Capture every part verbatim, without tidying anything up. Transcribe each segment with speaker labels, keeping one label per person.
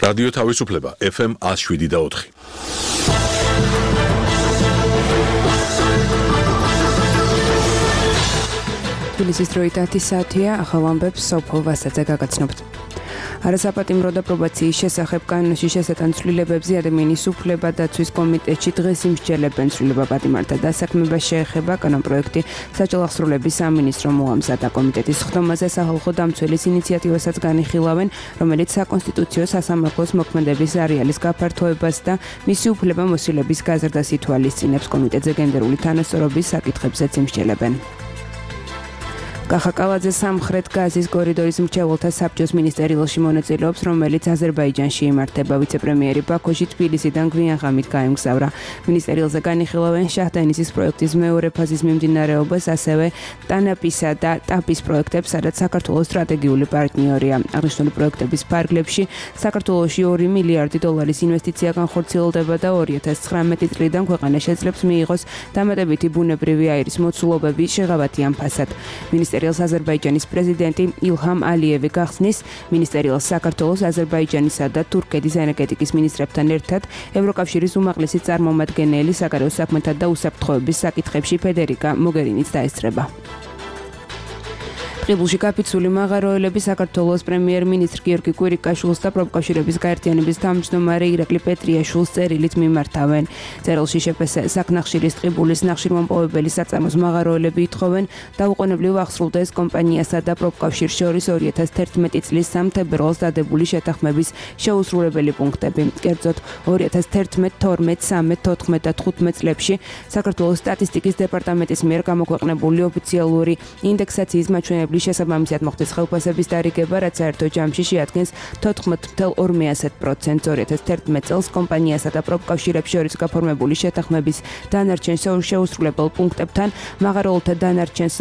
Speaker 1: რადიო თავისუფლება ეფ ემ ათს შვიდი და ოთხი.
Speaker 2: თბილისის დროით ათი საათია, ახალ ამბებს სოფო ვასაძე გაგაცნობთ. არასაპატიმრო და პრობაციის შესახებ კანონში შესატან ცვლილებებზე ადამიანის უფლება დაცვის კომიტეტში დღეს იმსჯელებენ ცვლილება პატიმართა დასაქმებას შეეხება კანონპროექტი საჯარო აღსრულების სამინისტრო მოამზადა. კომიტეტის ხდომაზე სახალხო დამცველის ინიციატივასაც განიხილავენ, რომელიც საკონსტიტუციო სასამართლოს მოქმედების არეალის გაფართოებას და მისი უფლება მოსილების გაზრდას ითვალისწინებს. კომიტეტზე გენდერული თანასწორობის საკითხებზეც იმსჯელებენ. კახაკალაძე სამხრეთ გაზის კორიდორის მრჩეველთა საბჭოს მინისტერიალში მონაწილეობს, რომელიც აზერბაიჯანში იმართება. ვიცე-პრემიერი ბაქოში თბილისიდან გვიან ღამით გაემგზავრა. მინისტერიალზე განიხილავენ შაჰდანისის პროექტის მეორე ფაზის მიმდინარეობას, ასევე ტანაპისა და ტაპის პროექტებს, სადაც საქართველოს სტრატეგიული პარტნიორია. აღნიშნული პროექტების ფარგლებში საქართველოში ორი მილიარდი დოლარის ინვესტიცია განხორციელდება და ორი ათას ცხრამეტი წლიდან ქვეყანა შეძლებს მიიღოს დამატებითი ბუნებრივი აირის მოცულობები შეღავათიან ფასად. მინისტერიალს აზერბაიჯანის პრეზიდენტი ილჰამ ალიევი გახსნის. მინისტერიალს საქართველოს, აზერბაიჯანისა და თურქეთის ენერგეტიკის მინისტრებთან ერთად ევროკავშირის უმაღლესი წარმომადგენელი საგარეო საქმეთა და უსაფრთხოების საკითხებში ფედერიკა მოგერინიც დაესწრება. ღებულში გაფიცული მაღაროელები საქართველოს პრემიერ-მინისტრ გიორგი კვირიკაშვილს და პროფკავშირების გაერთიანების თავმჯდომარე ირაკლი პეტრიაშვილს წერილით მიმართავენ. წერილში შეფესე საკნახშირის ტყიბულის ნახშირმომპოვებელი საწარმოს მაღაროელები ითხოვენ დაუყოვნებლივ აღსრულდეს კომპანიასა და პროფკავშირს შორის ორი ათას თერთმეტი წლის სამ თებერვალს დადებული შეთანხმების შეუსრულებელი პუნქტები. კერძოდ ორი ათას თერთმეტ, თორმეტ, სამეტ, თოთხმეტ და თხუთმეტ წლებში საქართველოს სტატისტიკის დეპარტამენტის მიერ გამოქვეყნებული ოფიციალური ინდექსაციის მაჩვენებლების შესაბამისად მოხდეს ხელფასების დარიგება, რაც საერთო ჯამში შეადგენს თოთხმეტ ათას ორმეასეტ პროცენტს. ორი ათას თერთმეტ წელს კომპანიასა და პროფკავშირებს შორის გაფორმებული შეთანხმების დანარჩენ შეუსრულებელ პუნქტებთან, მაღაროელთა დანარჩენს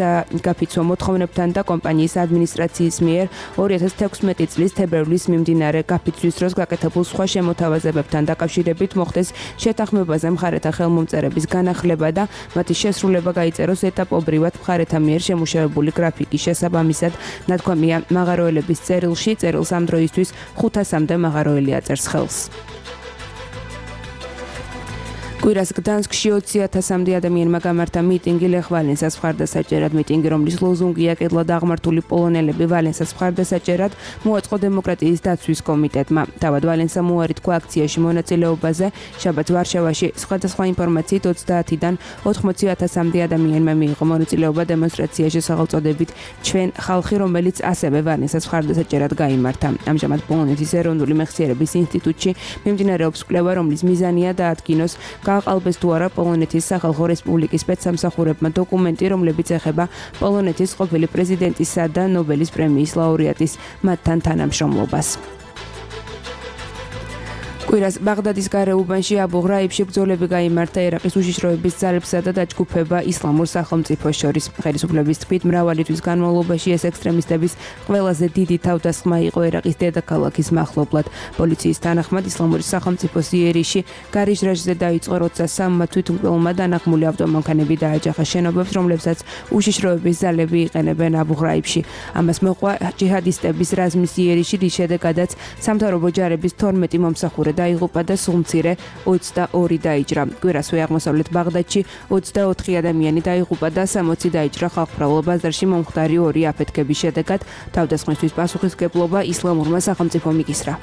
Speaker 2: გაფიცვა მოთხოვნებთან და კომპანიის ადმინისტრაციის მიერ ორი ათას თექვსმეტი წლის თებერვლის მიმდინარე გაფიცვის დროს გაკეთებულ სხვა შემოთავაზებებთან დაკავშირებით მოხდეს შეთანხმებაზე მხარეთა ხელმომწერების განახლება და მათი შესრულება გაიწეროს ეტაპობრივად მხარეთა მიერ შემუშავებული გრაფიკის შესაბამისად. ნათქვამია მაღაროელების წერილში, წერილს ამ დროისთვის ხუთასამდე მაღაროელი აწერს ხელს. კვირას გდანსკში ოცი ათასამდე ადამიანმა გამართა მიტინგი ლეხ ვალენსას მხარდასაჭერად. მიტინგი, რომლის ლოზუნგია კედლად აღმართული პოლონელები ვალენსას მხარდასაჭერად, მოაწყო დემოკრატიის დაცვის კომიტეტმა. თავად ვალენსა უარი თქვა აქციაში მონაწილეობაზე. შაბათს ვარშავაში სხვადასხვა ინფორმაციით ოცდაათიდან ოთხმოცი ათასამდე ადამიანმა მიიღო მონაწილეობა დემონსტრაციაში სახელწოდებით ჩვენ ხალხი, რომელიც ასევე ვალენსას მხარდასაჭერად გაიმართა. ამჟამად პოლონეთის ეროვნული მეხსიერების ინსტიტუტში მიმდინარეობს კვლევა, რომლის მიზანია დაადგინოს გააყალბეს თუ არა პოლონეთის სახალხო რესპუბლიკის სპეცსამსახურებმა დოკუმენტი, რომლებიც ეხება პოლონეთის ყოფილი პრეზიდენტისა და ნობელის პრემიის ლაურეატის მათთან თანამშრომლობას. კვირას ბაღდადის გარეუბანში აბუ ღრაიბში ბრძოლები გაიმართა ერაყის უშიშროების ძალებსა და დაჯგუფება ისლამურ სახელმწიფოს შორის. ხელისუფლების თქმით, მრავალი თვის განმავლობაში ეს ექსტრემისტების ყველაზე დიდი თავდასხმა იყო ერაყის დედაქალაქის მახლობლად. პოლიციის თანახმად ისლამური სახელმწიფოს იერიში გარიჟრაჟზე დაიწყო, როცა სამმა თვითმკვლელმა დანაღმული ავტომანქანები დააჯახა შენობებს, რომლებსაც უშიშროების ძალები იყენებენ აბუ ღრაიბში. ამას მოყვა ჯიჰადისტების რაზმის იერიში, რის შედეგადაც სამთავრობო ჯარების თორმეტი მომსახურე დაიღუპა და სულ მცირე ოცდაორი დაიჭრა. კვირასვე აღმოსავლეთ ბაღდადში ოცდაოთხი ადამიანი დაიღუპა და სამოცი დაიჭრა. ხალხმრავალ ბაზარში მომხდარი ორი აფეთქების შედეგად თავდასხმისთვის პასუხისმგებლობა ისლამურმა სახელმწიფომ იკისრა.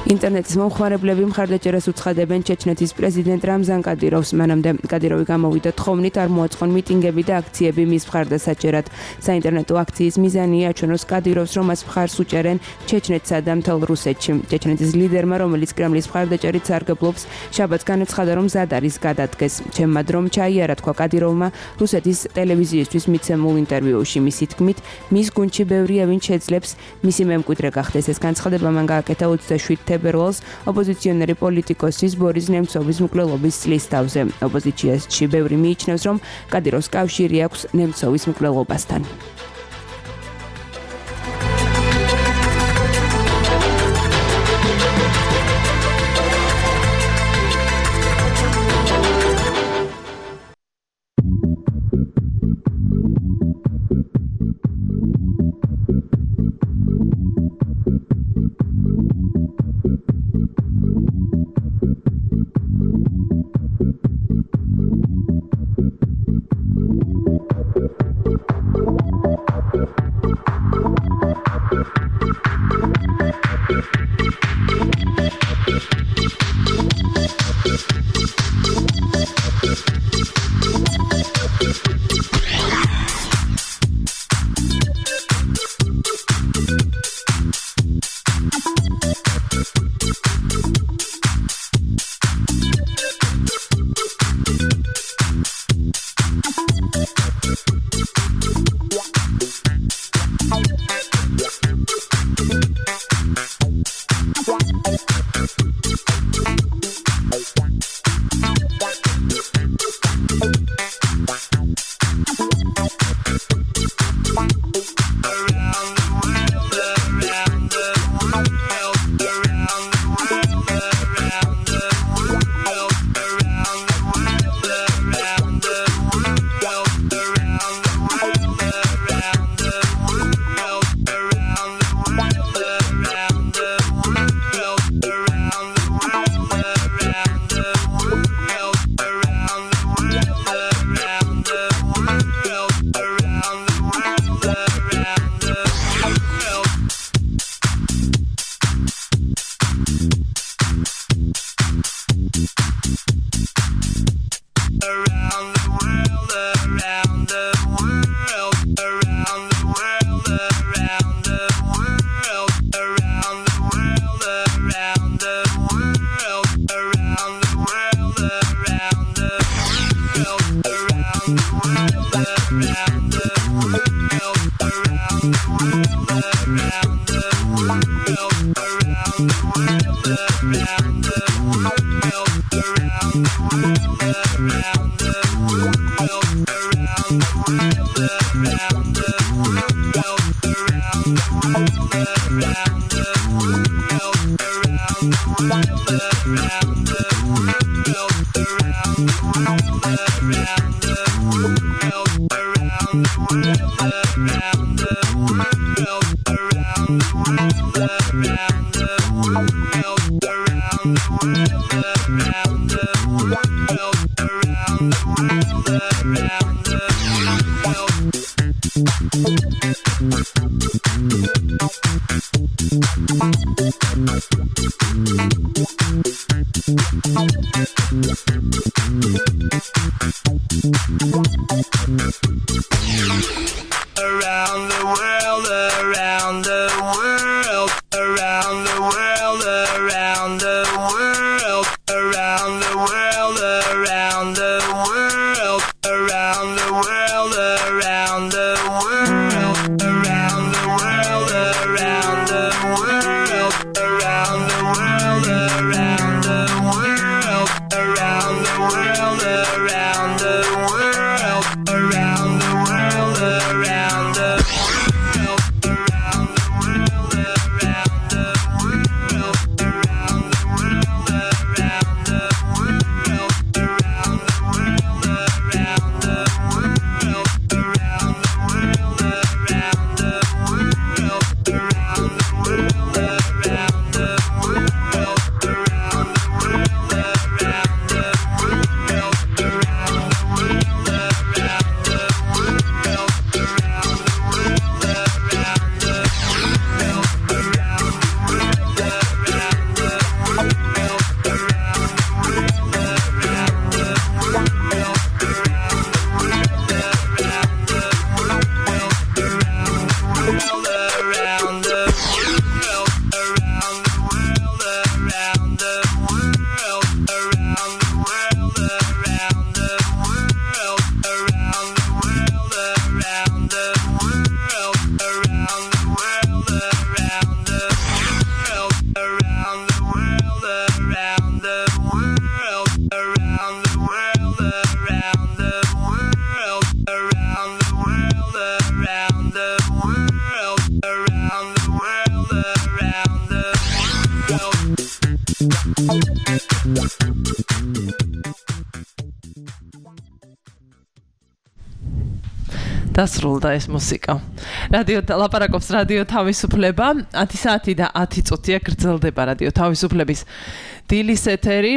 Speaker 2: ინტერნეტის მომხმარებლები მხარდაჭერას უცხადებენ ჩეჩნეთის პრეზიდენტ რამზან კადიროვს. მანამდე კადიროვი გამოვიდა თხოვნით, არ მოაწყონ მიტინგები და აქციები მის მხარდასაჭერად. საინტერნეტო აქციის მიზანია აჩვენოს კადიროვს, რომ მას მხარს უჭერენ ჩეჩნეთსა და მთელ რუსეთში. ჩეჩნეთის ლიდერმა, რომელიც კრემლის მხარდაჭერით სარგებლობს, შაბათს განაცხადა, რომ მზად არის გადადგეს. ჩემმა დრომ ჩაიარა, თქვა კადიროვმა რუსეთის ტელევიზიისთვის მიცემულ ინტერვიუში. მისი თქმით, მის გუნდში ბევრია, ვინც შეძლებს მისი მემკვიდრე გახდეს. ეს განცხადება მან გააკეთა ოცდაშვიდ თებერვალს ოპოზიციონერი პოლიტიკოსის ბორის ნემცოვის მკვლელობის წლის თავზე. ოპოზიციაში ბევრი მიიჩნევს, რომ კადიროვს კავშირი აქვს ნემცოვის მკვლელობასთან.
Speaker 3: დასრულდა ეს მუსიკა. რადიო ლაპარაკობს რადიო თავისუფლება, ათი საათი და ათი წუთია გრძელდება რადიო თავისუფლების დილის ეთერი,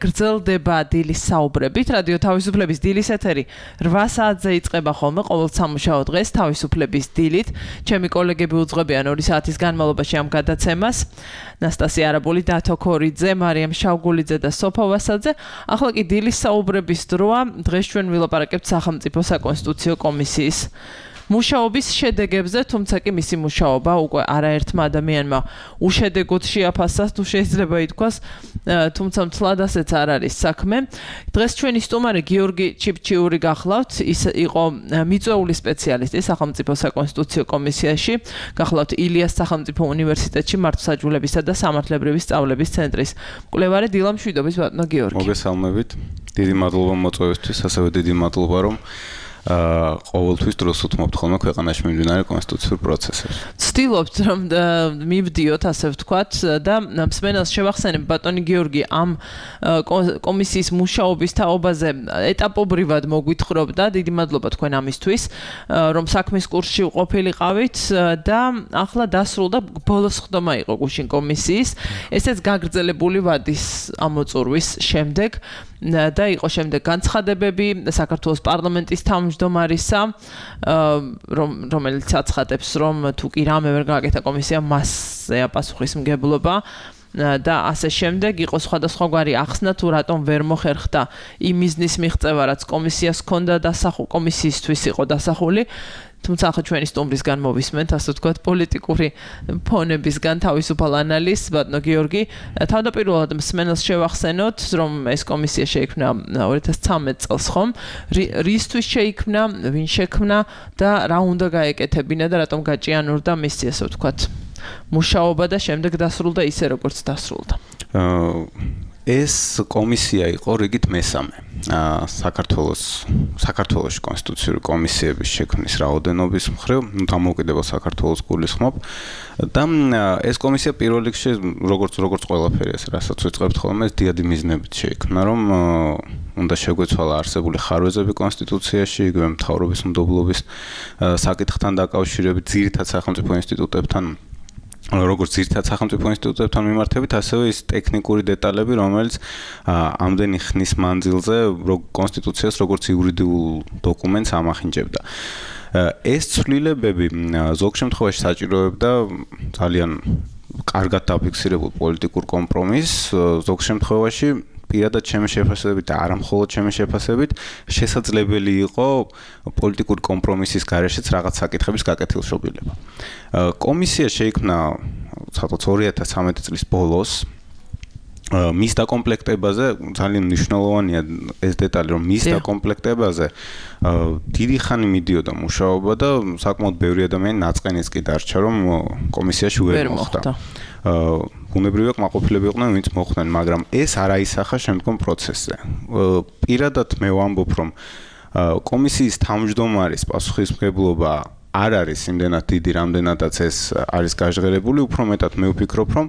Speaker 3: გრძელდება დილის საუბრებით. რადიო თავისუფლების დილის ეთერი რვა საათზე იწყება ხოლმე ყოველ სამუშაო დღეს თავისუფლების დილით. ჩემი კოლეგები უძღვებიან ორი საათის განმავლობაში ამ გადაცემას. ნასტასია არაბული, დათო ქორიძე, მარიამ შავგულიძე და სოფო ვასაძე. ახლა კი დილის საუბრების დროა. დღეს ჩვენ ვილაპარაკებთ სახელმწიფო საკონსტიტუციო კომისიის მუშაობის შედეგებზე, თუმცა კი მისი მუშაობა უკვე არაერთმა ადამიანმა უშედეგოდ შეაფასა, თუ შეიძლება ითქვას, თუმცა მთლად ასეც არ არის საქმე. დღეს ჩვენი სტუმარი გიორგი ჩიფჩიური გახლავთ, ის იყო მიწვეული სპეციალისტი სახელმწიფო საკონსტიტუციო კომისიაში, გახლავთ ილიას სახელმწიფო უნივერსიტეტში მართლმსაჯულებისა და სამართლებრივი სწავლების ცენტრის მკვლევარი. დილა მშვიდობის ბატონო გიორგი.
Speaker 4: მოგესალმებით. დიდი მადლობა მოწვევისთვის, ასევე დიდი მადლობა რომ აა ყოველთვის დროს უთმობთ ხოლმე ქვეყანაში მიმდინარე კონსტიტუციურ პროცესებს.
Speaker 3: ვცდილობთ რომ მივდიოთ, ასე ვთქვათ, და მსმენელს შევახსენებ ბატონი გიორგი ამ კომისიის მუშაობის თაობაზე ეტაპობრივად მოგვითხრობდა. დიდი მადლობა თქვენ ამისთვის, რომ საქმის კურსში ყოფილიყავით და ახლა დასრულდა ბოლოს ხდომა იყო გუშინ კომისიის. ესეც გაგრძელებული ვადის ამოწურვის შემდეგ და იყო შემდეგ განცხადებები საქართველოს პარლამენტის თავმჯდომარისა, რომელიც აცხადებს, რომ თუ კი რამე ვერ გააკეთა კომისია, მასზეა პასუხისმგებლობა და ასე შემდეგ. იყო სხვადასხვაგვარი ახსნა, თუ რატომ ვერ მოხერხდა იმ მიზნის მიღწევა, რაც კომისიას ჰქონდა დასახული, კომისიისთვის იყო დასახული. თუმცა ახლა ჩვენი სტუმრისგან მოვისმენთ, ასე ვთქვათ, პოლიტიკური ფონებისგან თავისუფალ ანალიზს. ბატონო გიორგი, თავდაპირველად მსმენელს შევახსენოთ, რომ ეს კომისია შეიქმნა ორი ათას ცხრამეტ წელს, ხომ? რისთვის შეიქმნა, ვინ შექმნა და რა უნდა გაეკეთებინა და რატომ გაჭიანურდა მისი, ასე ვთქვათ, მუშაობა და შემდეგ დასრულდა ისე, როგორც დასრულდა.
Speaker 4: ეს კომისია იყო რიგით მესამე საქართველოს საქართველოს კონსტიტუციური კომისიების შექმნის რაოდენობის მხრივ, დამოუკიდებელ საქართველოს გულისხმობ და ეს კომისია პირველ რიგში როგორც როგორც ყველაფერი ეს რასაც ვიწყებთ ხოლმე ეს დიადი მიზნებით შეიქმნა, რომ უნდა შეგვეცვალა არსებული ხარვეზები კონსტიტუციაში, იგივე მთავრობის მდობლობის საკითხთან დაკავშირებით, ძირითად სახელმწიფო ინსტიტუტებთან როგორც ძირითად სახელმწიფო ინსტიტუტებთან მიმართებით, ასევე ის ტექნიკური დეტალები, რომელიც ამდენი ხნის მანძილზე კონსტიტუციას როგორც იურიდიულ დოკუმენტს ამახინჯებდა. ეს ცვლილებები ზოგ შემთხვევაში საჭიროებდა ძალიან კარგად დაფიქსირებულ პოლიტიკურ კომპრომისს, ზოგ შემთხვევაში პირადად ჩემი შეფასებით და არა მხოლოდ ჩემი შეფასებით შესაძლებელი იყო პოლიტიკური კომპრომისის გარეშეც რაღაც საკითხების გაკეთილშობილება. კომისია შეიქმნა ცალკე ორი ათას ცხრამეტი წლის ბოლოს. მის დაკომპლექტებაზე ძალიან მნიშვნელოვანია ეს დეტალი, რომ მის დაკომპლექტებაზე დიდი ხანი მიდიოდა მუშაობა და საკმაოდ ბევრი ადამიანი ნაწყენიც კი დარჩა, რომ კომისიაში ვერ მოხვდა. ბუნებრივია კმაყოფილები იყვნენ, ვინც მოხვდნენ, მაგრამ ეს არ აისახა შემდგომ პროცესზე. პირადად მე ვამბობ, რომ კომისიის თავმჯდომარის პასუხისმგებლობა არ არის იმდენად დიდი, რამდენადაც ეს არის გაჟღერებული, უფრო მეტად მე ვფიქრობ, რომ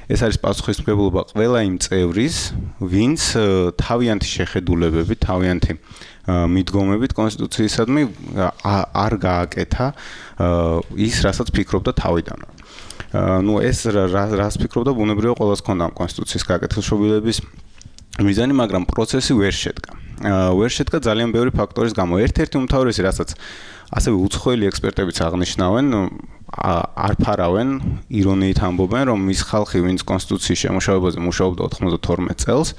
Speaker 4: ეს არის პასუხისმგებლობა ყველა იმ წევრის, ვინც თავიანთი შეხედულებებით, თავიანთი მიდგომებით კონსტიტუციისადმი არ გააკეთა ის, რასაც ფიქრობდა თავიდანვე. ну ეს რას ფიქრობდა, ბუნებრივია ყველას ჰქონდა კონსტიტუციის გაკეთილშობილების მიზანი, მაგრამ პროცესი ვერ შედგა. ვერ შედგა ძალიან ბევრი ფაქტორის გამო. ერთ-ერთი უმთავრესი, რასაც ასევე უცხოელი ექსპერტებიც აღნიშნავენ, არ ფარავენ, ირონიით ამბობენ, რომ ის ხალხი, ვინც კონსტიტუციის შემუშავებაზე მუშაობდა ოთხმოცდათორმეტ წელს,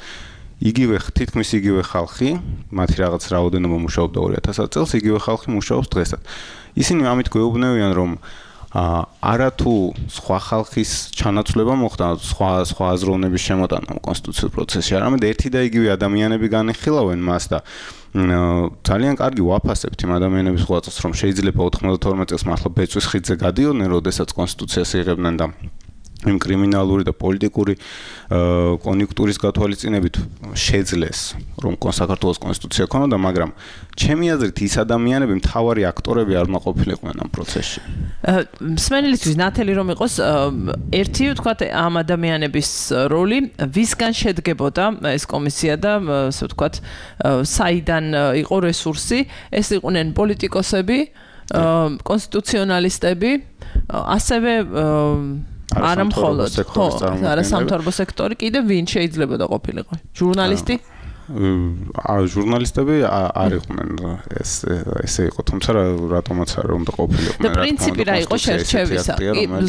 Speaker 4: იგივე თითქმის იგივე ხალხი, მათი რაღაც რაოდენობა მუშაობდა ორი ათას წელს, იგივე ხალხი მუშაობს დღესაც. ისინი ამით გვეუბნევიან, რომ არათუ სხვა ხალხის ჩანაცვლება მოხდა, სხვა სხვა აზროვნების შემოტანა კონსტიტუციურ პროცესში, არამედ ერთი და იგივე ადამიანები განიხილავენ მას და ძალიან კარგი ვაფასებთ იმ ადამიანების ღვაწლს, რომ შეიძლება ოთხმოცდათორმეტ წელს მართლა ბეწვის ხიდზე გადიოდნენ, როდესაც კონსტიტუციას იღებდნენ და იმ კრიმინალური და პოლიტიკური კონიუნქტურის გათვალისწინებით შეძლეს, რომ საქართველოს კონსტიტუცია ქონოდა, მაგრამ ჩემი აზრით ის ადამიანები მთავარი აქტორები არ მაყოფილიყვნენ ამ პროცესში.
Speaker 3: მსმენელისთვის ნათელი რომ იყოს, ერთი ვთქვათ ამ ადამიანების როლი, ვისგან შედგებოდა ეს კომისია და ასე ვთქვათ, საიდან იყო რესურსი, ეს იყვნენ პოლიტიკოსები, კონსტიტუციონალისტები, ასევე არა მხოლოდ, ხო, არა სამთავრობო სექტორი, კიდე ვინ შეიძლება და ყოფილიყო? ჟურნალისტი?
Speaker 4: ა ჟურნალისტები არ იყვნენ ეს ესე იყო, თუმცა რატომაც არ უნდა ყოფილიყვნენ.
Speaker 3: და პრინციპი რა იყო შერჩევისა?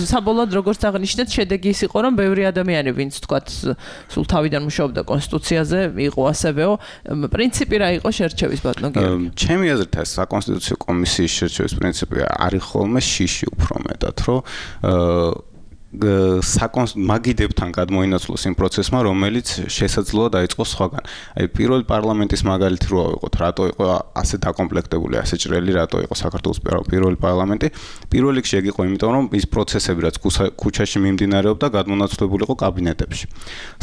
Speaker 3: საბოლოოდ როგორც აღნიშნეთ, შედეგი ის იყო, რომ ბევრი ადამიანი, ვინც თქვათ სულ თავიდან მუშაობდა კონსტიტუციაზე, იყო ასევეო. პრინციპი რა იყო შერჩევის ბატონო გიორგი?
Speaker 4: ჩემი აზრით ეს საკონსტიტუციო კომისიის შერჩევის პრინციპი არის ხოლმე შიში უფრო მეტად, რომ მაგიდებთან გადმოინაცვლოს იმ პროცესმა, რომელიც შესაძლოა დაიწყოს სხვაგან. აი პირველი პარლამენტის მაგალითი რო ავიღოთ, რატო იყო ასე დაკომპლექტებული, ასე ჭრელი, რატო იყო საქართველოს პირველი პარლამენტი? პირველ რიგში ეგ იყო იმიტომ, რომ ის პროცესები, რაც ქუჩაში მიმდინარეობდა, გადმონაცვლებული იყო კაბინეტებში.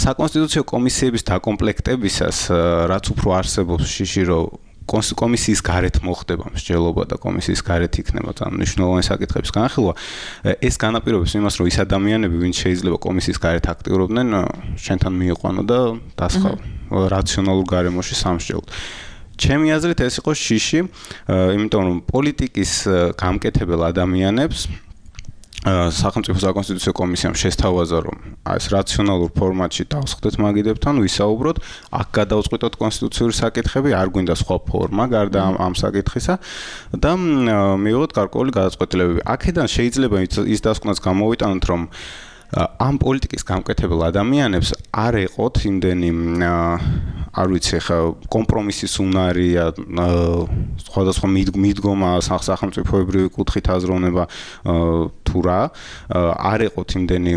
Speaker 4: საკონსტიტუციო კომისიების დაკომპლექტებისას, რაც უფრო არსებობს შიში, რომ კომისიის გარეთ მოხდება მსჯელობა და კომისიის გარეთ იქნება ძალიან მნიშვნელოვანი საკითხების განხილვა. ეს განაპირობებს იმას, რომ ის ადამიანები, ვინც შეიძლება კომისიის გარეთ აქტიურობდნენ, შენთან მიიყვანო და დასხავ რაციონალურ გარემოში სამსჯელოდ. ჩემი აზრით ეს იყო შიში, იმიტომ რომ პოლიტიკის გამკეთებელ ადამიანებს სახელმწიფო საკონსტიტუციო კომისიამ შესთავაზა, რომ ეს რაციონალურ ფორმატში დავსხდეთ მაგიდებთან, ვისაუბროთ, აქ გადავწყვიტოთ კონსტიტუციური საკითხები, არ გვინდა სხვა ფორმა გარდა ამ, ამ საკითხისა და მივიღოთ გარკვეული გადაწყვეტილებები. აქედან შეიძლება ის დასკვნაც გამოვიტანოთ, რომ ამ პოლიტიკის გამკეთებელ ადამიანებს არ ეყოთ იმდენი არ ვიცი ხა კომპრომისის უნარი სხვადასხვა მიდგომა სახელმწიფოებრივი კუთხით აზროვნება თუ რა არ ეყოთ იმდენი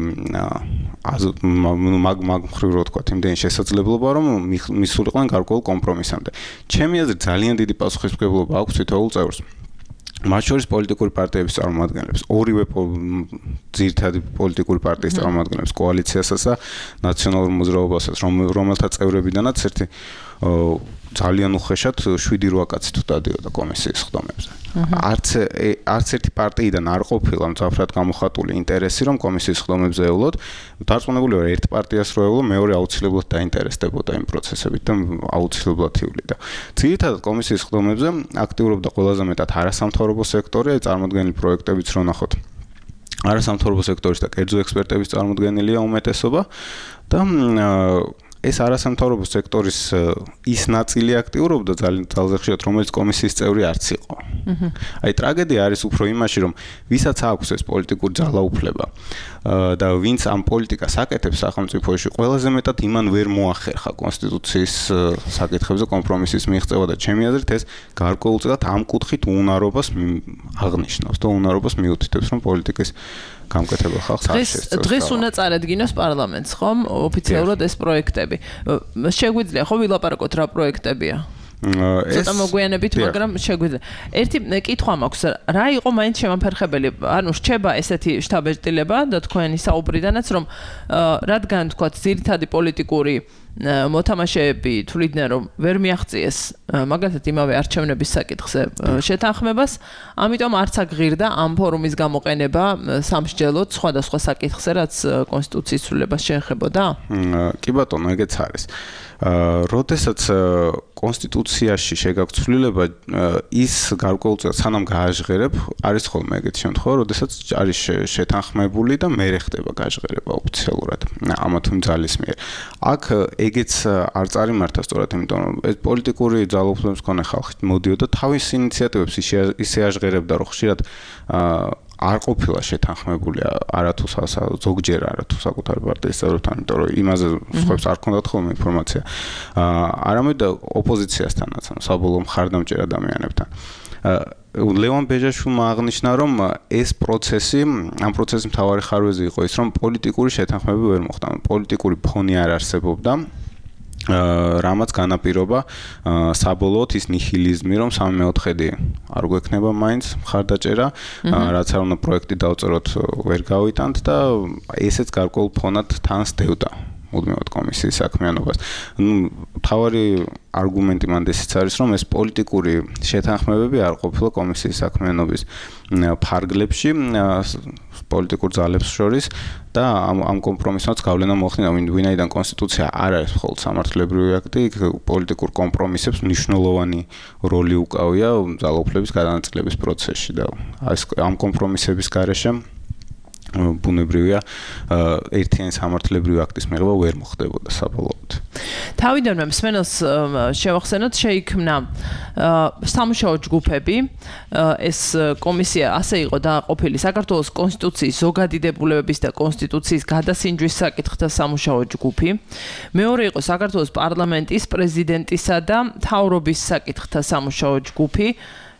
Speaker 4: მაგ მაგ მხრივ რო თქვა იმდენი შესაძლებლობა რომ მისულიყვნენ გარკვეულ კომპრომისამდე. ჩემი აზრით ძალიან დიდი პასუხისმგებლობა აქვს თითოეულ წევრს. მათ შორის პოლიტიკური პარტიების წარმომადგენლებს, ორივე ძირითადი პოლიტიკური პარტიის წარმომადგენლებს, კოალიციასაც და ნაციონალურ მოძრაობასაც, რომელთა წევრებიდანაც ერთი ძალიან უხეშად შვიდი რვა კაცი თუ დადიოდა კომისიის ხდომებზე. არც არც ერთი პარტიიდან არ ყოფილა მძაფრად გამოხატული ინტერესი, რომ კომისიის ხდომებზე ევლოთ. დარწმუნებული ვარ, ერთ პარტიას რო ევლო, მეორე აუცილებლად დაინტერესდებოდა იმ პროცესებით და აუცილებლად ივლიდა. ძირითადად კომისიის ხდომებზე აქტიურობდა ყველაზე მეტად არასამთავრობო სექტორი, აი წარმოდგენილი პროექტებიც რო ნახოთ. არასამთავრობო სექტორის და კერძო ექსპერტების წარმოდგენილია უმეტესობა და ეს არასამთავრობო სექტორის ის ნაწილი აქტიურობდა ძალიან ძალზე ხშირად, რომელიც კომისიის წევრი არც იყო. აი ტრაგედია არის უფრო იმაში, რომ ვისაც აქვს ეს პოლიტიკური ძალაუფლება და ვინც ამ პოლიტიკას აკეთებს სახელმწიფოში, ყველაზე მეტად იმან ვერ მოახერხა კონსტიტუციის საკითხებზე კომპრომისის მიღწევა და ჩემი აზრით ეს გარკვეულწილად ამ კუთხით უნარობას აღნიშნავს და უნარობას მიუთითებს, რომ პოლიტიკის გამკეთებელ ხალხს არ შესწევს.
Speaker 3: დღეს უნდა წარადგინოს პარლამენტს, ხომ? ოფიციალურად ეს პროექტები. შეგვიძლია ხო ვილაპარაკოთ რა პროექტებია? ცოტა მოგვიანებით, მაგრამ შეგვიძლია. ერთი კითხვა მაქვს, რა იყო მაინც შემაფერხებელი? ანუ რჩება ესეთი შტაბ-ეჭდილება და თქვენი საუბრიდანაც, რომ რადგან თქვა ძირითადი პოლიტიკური მოთამაშეები თვლიდნენ, რომ ვერ მიაღწიეს მაგალითად იმავე არჩევნების საკითხზე შეთანხმებას, ამიტომ არც აღღირდა ამ ფორუმის გამოყენება სამსჯელოდ სხვადასხვა საკითხზე, რაც კონსტიტუციის ცვლილებას შეეხებოდა?
Speaker 4: კი ბატონო, ეგეც არის. როდესაც კონსტიტუციაში შეგაქვს ცვლილება, ის გარკვეულწილად სანამ გააჟღერებ, არის ხოლმე ეგეთი შემთხვევა, როდესაც არის შეთანხმებული და მერე ხდება გაჟღერება ოფიციალურად ამა თუ იმ ძალის მიერ. აქ ეგეც არ წარიმართა სწორად, იმიტომ რომ ეს პოლიტიკური ძალაუფლების მქონე ხალხი მოდიოდა თავის ინიციატივებს ისე აჟღერებდა, რომ ხშირად არ ყოფილა შეთანხმებული არათუ ზოგჯერ არათუ საკუთარი პარტიის წევრებთან, იმიტომ რომ იმაზე სხვებს არ ქონდათ ხოლმე ინფორმაცია. არამედ ოპოზიციასთანაც, საბოლოო მხარდამჭერ ადამიანებთან. ლევან ბეჟაშვილმა აღნიშნა, რომ ეს პროცესი, ამ პროცესის მთავარი ხარვეზი იყო ის, რომ პოლიტიკური შეთანხმება ვერ მოხდა. პოლიტიკური ფონი არ არსებობდა. რამაც განაპირობა საბოლოოდ ის ნიჰილიზმი, რომ სამი მეოთხედი არ გვექნება მაინც მხარდაჭერა, რაც არ უნდა პროექტი დავწეროთ ვერ გავიტანთ და ესეც გარკვეულ ფონად თან სდევდა მუდმივად კომისიის საქმიანობას. ნუ თავარი არგუმენტი მანდ ესეც არის, რომ ეს პოლიტიკური შეთანხმებები არ ყოფილა კომისიის საქმიანობის ფარგლებში, პოლიტიკურ ძალებს შორის და ამ ამ კომპრომისმაც გავლენა მოახდინა, ვინაიდან კონსტიტუცია არ არის მხოლოდ სამართლებრივი აქტი, იქ პოლიტიკურ კომპრომისებს მნიშვნელოვანი როლი უკავია ძალაუფლების გადანაწილების პროცესში და ამ კომპრომისების გარეშე ბუნებრივია ერთიანი სამართლებრივი აქტის მიღება ვერ მოხდებოდა საბოლოოდ.
Speaker 3: თავიდანვე მსმენელს შევახსენოთ, შეიქმნა სამუშაო ჯგუფები. ეს კომისია ასე იყო დააყოფილი საქართველოს კონსტიტუციის ზოგადი დებულებების და კონსტიტუციის გადასინჯვის საკითხთა სამუშაო ჯგუფი. მეორე იყო საქართველოს პარლამენტის პრეზიდენტისა და მთავრობის საკითხთა სამუშაო ჯგუფი.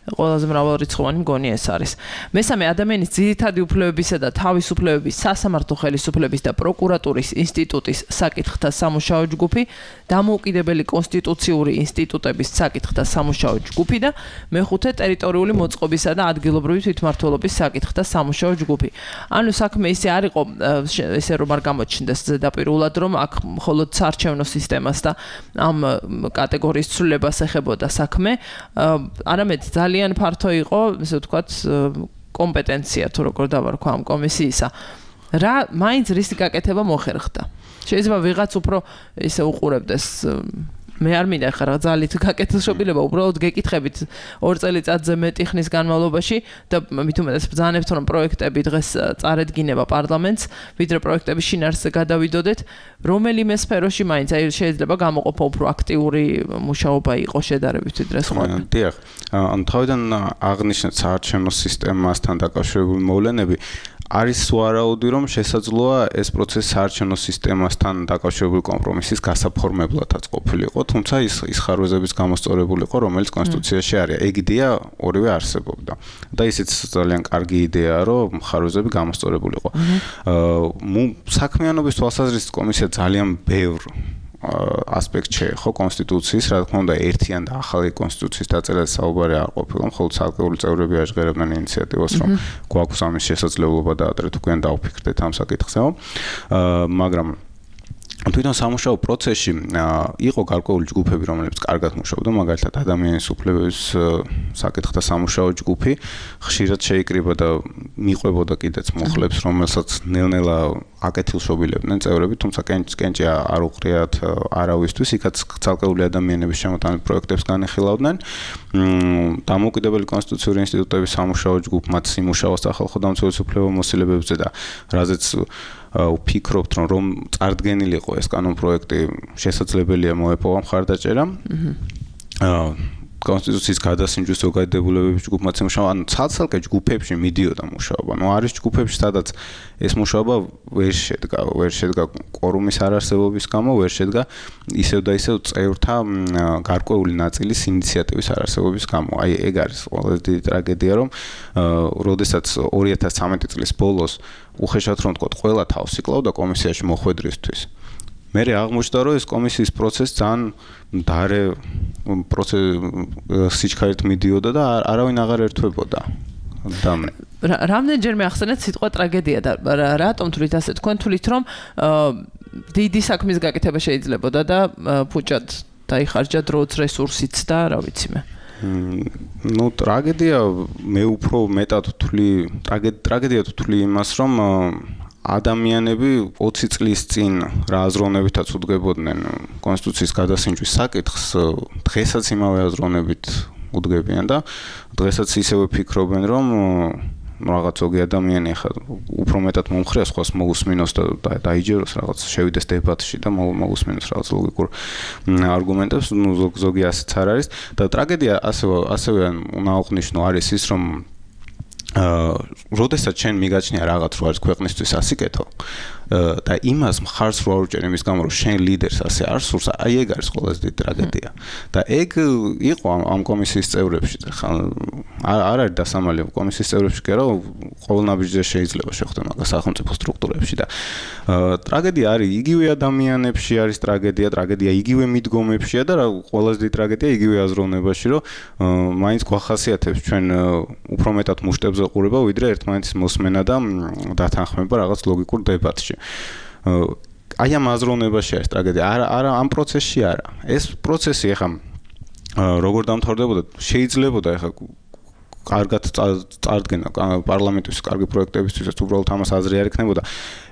Speaker 3: ყველაზე მრავალრიცხოვანი მგონი ეს არის. მესამე ადამიანის ძირითადი უფლებებისა და თავისუფლებების სასამართლო ხელისუფლების და პროკურატურის ინსტიტუტის საკითხთა სამუშაო ჯგუფი, დამოუკიდებელი კონსტიტუციური ინსტიტუტების საკითხთა სამუშაო ჯგუფი და მეხუთე ტერიტორიული მოწყობისა და ადგილობრივი თვითმმართველობის საკითხთა სამუშაო ჯგუფი. ანუ საქმე ისე არ იყო, ესე რომ არ გამოჩნდეს ზედაპირულად, რომ აქ მხოლოდ საარჩევნო სისტემას და ამ კატეგორიის ცვლილებას ეხებოდა საქმე, არამედ ძალიან ძალიან ფართო იყო, ესე ვთქვათ, კომპეტენცია თუ როგორ დავარქვა ამ კომისიისა. რა მაინც რისი გაკეთება მოხერხდა. შეიძლება ვიღაც უფრო ესე უყურებდეს მე არ მინდა ხარ ძალით გაკეთილშობილება, უბრალოდ გეკითხებით ორ წელიწადზე მეტი ხნის განმავლობაში და მით უმეტეს ბრძანებთ, რომ პროექტები დღეს წარედგინება პარლამენტს, ვიდრე პროექტების შინაარსზე გადავიდოდეთ, რომელიმე სფეროში მაინც აი შეიძლება გამოყოფა უფრო აქტიური მუშაობა იყო შედარებით ვიდრე სხვა.
Speaker 4: დიახ, ან თავიდან აღნიშნეთ საარჩევნო სისტემასთან დაკავშირებული მოვლენები არის ვარაუდი, რომ შესაძლოა ეს პროცესი საარჩევნო სისტემასთან დაკავშირებული კომპრომისის გასაფორმებლადაც ყოფილიყო, თუმცა ის ის ხარვეზების გამოსწორებულიყო, რომელიც კონსტიტუციაში არის. ეგ იდეა ორივე არსებობდა. და ისიც ძალიან კარგი იდეაა, რომ ხარვეზები გამოსწორებულიყო. აა საქმიანობის თვალსაზრისით კომისია ძალიან ბევრ ასპექტ შეეხო კონსტიტუციის, რა თქმა უნდა, ერთიან და ახალი კონსტიტუციის დაწერას საუბარი არ ყოფილა, მხოლოდ ცალკეული წევრები აღжღერებდნენ ინიციატივას, რომ გვაქვს ამის შესაძლებლობა და ადრე თუ გვიან დავფიქრდეთ ამ საკითხზე. აა მაგრამ თვითონ სამუშაო პროცესში იყო გარკვეული ჯგუფები, რომლებიც კარგად მუშაობდა, მაგალითად ადამიანის უფლებების საკითხთა სამუშაო ჯგუფი, ხშირად შეიკრიბა და მიყვებოდა კიდეც მუხლებს, რომელსაც ნელ-ნელა აკეთილშობილებდნენ წევრები, თუმცა კენჭი არ უყრიათ არავისთვის, იქაც ცალკეული ადამიანების შემოტანილ პროექტებს განეხილავდნენ. დამოუკიდებელი კონსტიტუციური ინსტიტუტების სამუშაო ჯგუფი მათ სიმუშაოს სახალხო დამცველის უფლებამოსილებებზე და რაზეც ვფიქრობთ, რომ რომ წარდგენილი იყო ეს კანონპროექტი, შესაძლებელია მოეპოვა მხარდაჭერა. აა კონსტიტუციის გადასინჯვის ზოგადი დებულებების ჯგუფმა მუშაობა, ანუ ცალ-ცალკე ჯგუფებში მიდიოდა მუშაობა. ნუ არის ჯგუფებში, სადაც ეს მუშაობა ვერ შედგა, ვერ შედგა კვორუმის არარსებობის გამო, ვერ შედგა ისევ და ისევ წევრთა გარკვეული ნაწილის ინიციატივის არარსებობის გამო. აი ეგ არის ყველაზე დიდი ტრაგედია, რომ როდესაც ორი ათას ცხრამეტი წლის ბოლოს უხეშად რომ ვთქვათ, ყველა თავს იკლავდა კომისიაში მოხვედრისთვის. მე აღმოჩნდა, რომ ეს კომისიის პროცესი ძალიან მდარე პროცესი სიჩქარით მიდიოდა და არავინ აღარ ერთვებოდა. და
Speaker 3: რამდენჯერმე ახსენეთ სიტყვა ტრაგედია და რატომ თვლით ასე თქვენ თვლით, რომ დიდი საქმის გაკეთება შეიძლებოდა და ფუჭად დაიხარჯა დროც, რესურსიც და რა ვიცი მე.
Speaker 4: ნუ ტრაგედია მე უფრო მეტად ვთვლი, ტრაგედია ვთვლი იმას, რომ ადამიანები ოცი წლის წინ რა აზროვნებითაც უდგებოდნენ კონსტიტუციის გადასინჯვის საკითხს, დღესაც იმავე აზროვნებით უდგებიან და დღესაც ისევე ფიქრობენ, რომ რაღაც ზოგი ადამიანი ახლა უფრო მეტად მომხრეა სხვას მოусმინოს და დაიჯეროს რაღაც შევიდეს დებატში და მოусმინოს რაღაც ლოგიკურ არგუმენტებს, ნუ ზოგი ასეც არ არის და ტრაგედია ასევე ასევე უნდა აღნიშნო არის ის, რომ აა როდესაც შენ მიგაჩნია რაღაც რო არის ქვეყნისთვის ასიკეთო და იმას მხარს რო არ უჭერ იმის გამო რომ შენ ლიდერს ასე არ სურს, აი ეგ არის ყველაზე დიდი ტრაგედია. და ეგ იყო ამ კომისიის წევრებში, ხა არ არის დასამალი კომისიის წევრებში კი არა, ყოველ ნაბიჯზე შეიძლება შეხვდე მაგას სახელმწიფო სტრუქტურებში და ტრაგედია არის იგივე ადამიანებში არის ტრაგედია, ტრაგედია იგივე მიდგომებშია და ყველაზე დიდი ტრაგედია იგივე აზროვნებაში, რომ მაინც გვახასიათებს ჩვენ უფრო მეტად მუშტებზე ყურება, ვიდრე ერთმანეთის მოსმენა და დათანხმება რაღაც ლოგიკურ დებატში. აი ამ აზროვნებაში არის ტრაგედია. არა, არა ამ პროცესში არა. ეს პროცესი ეხა როგორ დამთავრდებოდა, შეიძლებოდა ეხა კარგად წარდგენა პარლამენტის კარგი პროექტებისთვისაც უბრალოდ ამას აზრი არ ექნებოდა.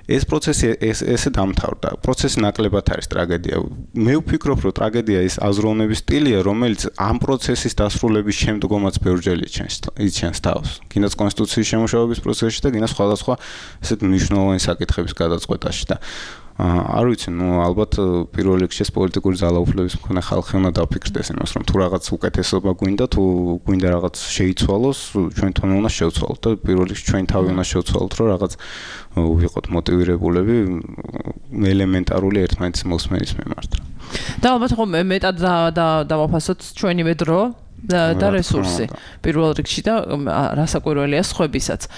Speaker 4: ეს პროცესი ეს ესე დამთავრდა. პროცესი ნაკლებად არის ტრაგედია. მე ვფიქრობ, რომ ტრაგედია ის აზროვნების სტილია, რომელიც ამ პროცესის დასრულების შემდგომაც ბევრჯერ იჩენს თავს. კიდაც კონსტიტუციის შემუშავების პროცესში და კიდაც სხვადასხვა ესეთ მნიშვნელოვანი საკითხების გადაწყვეტაში და არ ვიცი, ნუ ალბათ პირველ რიგში პოლიტიკური ძალაუფლების მქონე ხალხი უნდა დაფიქრდეს იმას, რომ თუ რაღაც უკეთესობა გვინდა, თუ გვინდა რაღაც შეიცვალოს, ჩვენ თვითონ უნდა შევცვალოთ და პირველ რიგში ჩვენ თავი უნდა შევცვალოთ, რომ რაღაც ვიყოთ მოტივირებულები ელემენტარული ერთმანეთის მოსმენის მიმართ.
Speaker 3: და ალბათ ხო მეტად დავაფასოთ ჩვენივე დრო და რესურსი პირველ რიგში და რასაკვირველია სხვებისაც.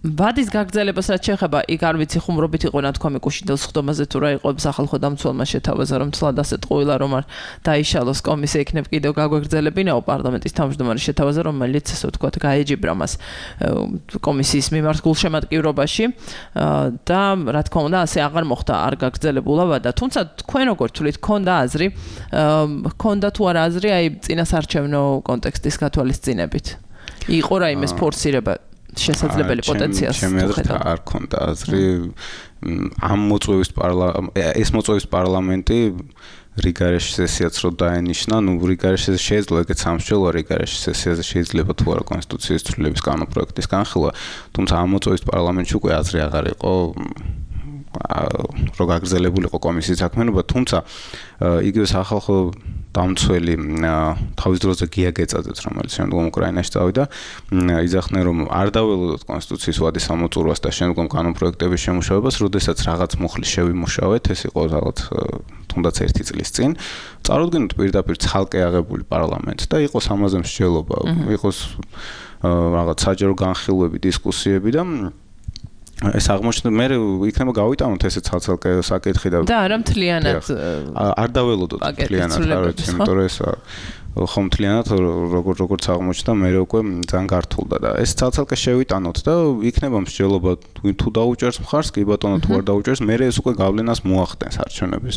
Speaker 3: ვადის გაგრძელებას რაც შეეხება, იქ არ ვიცი ხუმრობით იყო ნათქვამი კუშინდელს ხდომაზე თუ რა იყო სახალხო დამცველმა შეთავაზა, რომ თლად ასეთ ყოილა რომ არ დაიშალოს კომისია იქნებ კიდევ გაგვეგრძელებინაო პარლამენტის თავმჯდომარე შეთავაზა, რომელიც ასე ვთქვათ გაეჯიბრა მას კომისიის მიმართ გულშემატკივრობაში და რა თქმა უნდა ასე აღარ მოხდა, არ გაგრძელებულა ვადა. თუმცა თქვენ როგორ თვლით, ქონდა აზრი, ქონდა თუ არა აზრი აი წინასარჩევნო კონტექსტის გათვალისწინებით? იყო რაიმე ფორსირება შესაძლებელი პოტენციალს
Speaker 4: შეხედავ. არ ქონდა აზრი ამ მოწვევის პარლამენტი, ეს მოწვევის პარლამენტი რიგარეში სესიაც რო დაენიშნა, ნუ რიგარეში შეიძლება ეგეც სამშველო რიგარეში სესიაზე შეიძლება თუ არა კონსტიტუციის ცვლილების კანონპროექტის განხილვა, თუმცა ამ მოწვევის პარლამენტში უკვე აზრი აღარ იყო რო გაგრძელებულიყო კომისიის საქმიანობა, თუმცა იგივე სახალხო დამცველი თავის დროზე გია გეწაძეც, რომელიც შემდგომ უკრაინაში წავიდა, იძახდნენ, რომ არ დაველოდოთ კონსტიტუციის ვადის ამოწურვას და შემდგომ კანონპროექტების შემუშავებას, როდესაც რაღაც მუხლი შევიმუშავეთ, ეს იყო რაღაც თუნდაც ერთი წლის წინ, წარუდგინოთ პირდაპირ ცალკე აღებული პარლამენტს და იყოს ამაზე მსჯელობა, იყოს რაღაც საჯარო განხილვები, დისკუსიები და ეს აღმოჩნდა მე იქნება გავიტანოთ ესე ცალ-ცალკე საკითხი და
Speaker 3: და არა მთლიანად
Speaker 4: არ დაველოდოთ მთლიანად არ ვიცი, იმიტომ რომ ეს ხომ მთლიანად როგორ როგორც აღმოჩნდა მე უკვე ძალიან გართულდა და ეს ცალ-ცალკე შევიტანოთ და იქნება მსჯელობა თუ დაუჭერს მხარს, კი ბატონო თუ არ დაუჭერს, მე ეს უკვე გავლენას მოახდენს არჩევნების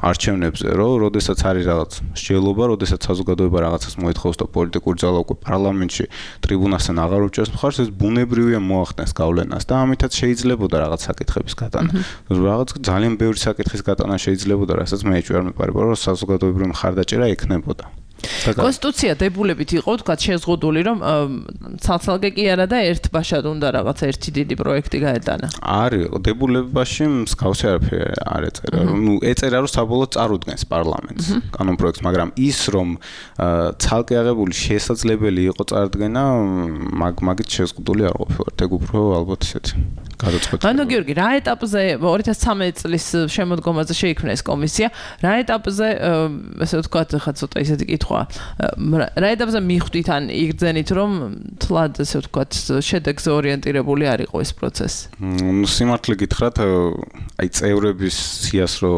Speaker 4: არჩევნებზე, რომ როდესაც არის რაღაც მსჯელობა, როდესაც საზოგადოება რაღაცას მოითხოვს და პოლიტიკური ძალა უკვე პარლამენტში ტრიბუნასთან აღარ უჭერს მხარს, ეს ბუნებრივია მოახდენს გავლენას და ამითაც შეიძლებოდა რაღაც საკითხების გატანა. რაღაც ძალიან ბევრი საკითხის გატანა შეიძლებოდა, რასაც მე ეჭვი არ მეპარება, რომ საზოგადოებრივი მხარდაჭერა ექნება.
Speaker 3: კონსტიტუცია დებულებით იყო, თქვა შეზღუდული, რომ ცალ-ცალკე კი არა და ერთბაშად უნდა რაღაც ერთი დიდი პროექტი გაეტანა.
Speaker 4: არის, დებულებაში მსგავსი არაფერი არ ეწერა. ნუ ეწერა, რომ საბოლოოდ წარუდგენს პარლამენტს კანონპროექტს, მაგრამ ის რომ ცალკე აღებული შესაძლებელი იყო წარდგენა, მაგით შეზღუდული არ ყოფილა. ეგ უფრო ალბათ ისეთი გადაწყვეტილება.
Speaker 3: ანუ გიორგი, რა ეტაპზე ორი ათას ცხრამეტი წლის შემოდგომაზე შეიქმნა ეს კომისია? რა ეტაპზე, ასე ვთქვათ, ხა ცოტა ისეთი კითხვა. რა ეტაპზე მიხვდით ან იგრძენით, რომ თლად, ასე ვთქვათ, შედეგზე ორიენტირებული არ იყო ეს პროცესი?
Speaker 4: ნუ სიმართლე გითხრათ, აი წევრების სიას რო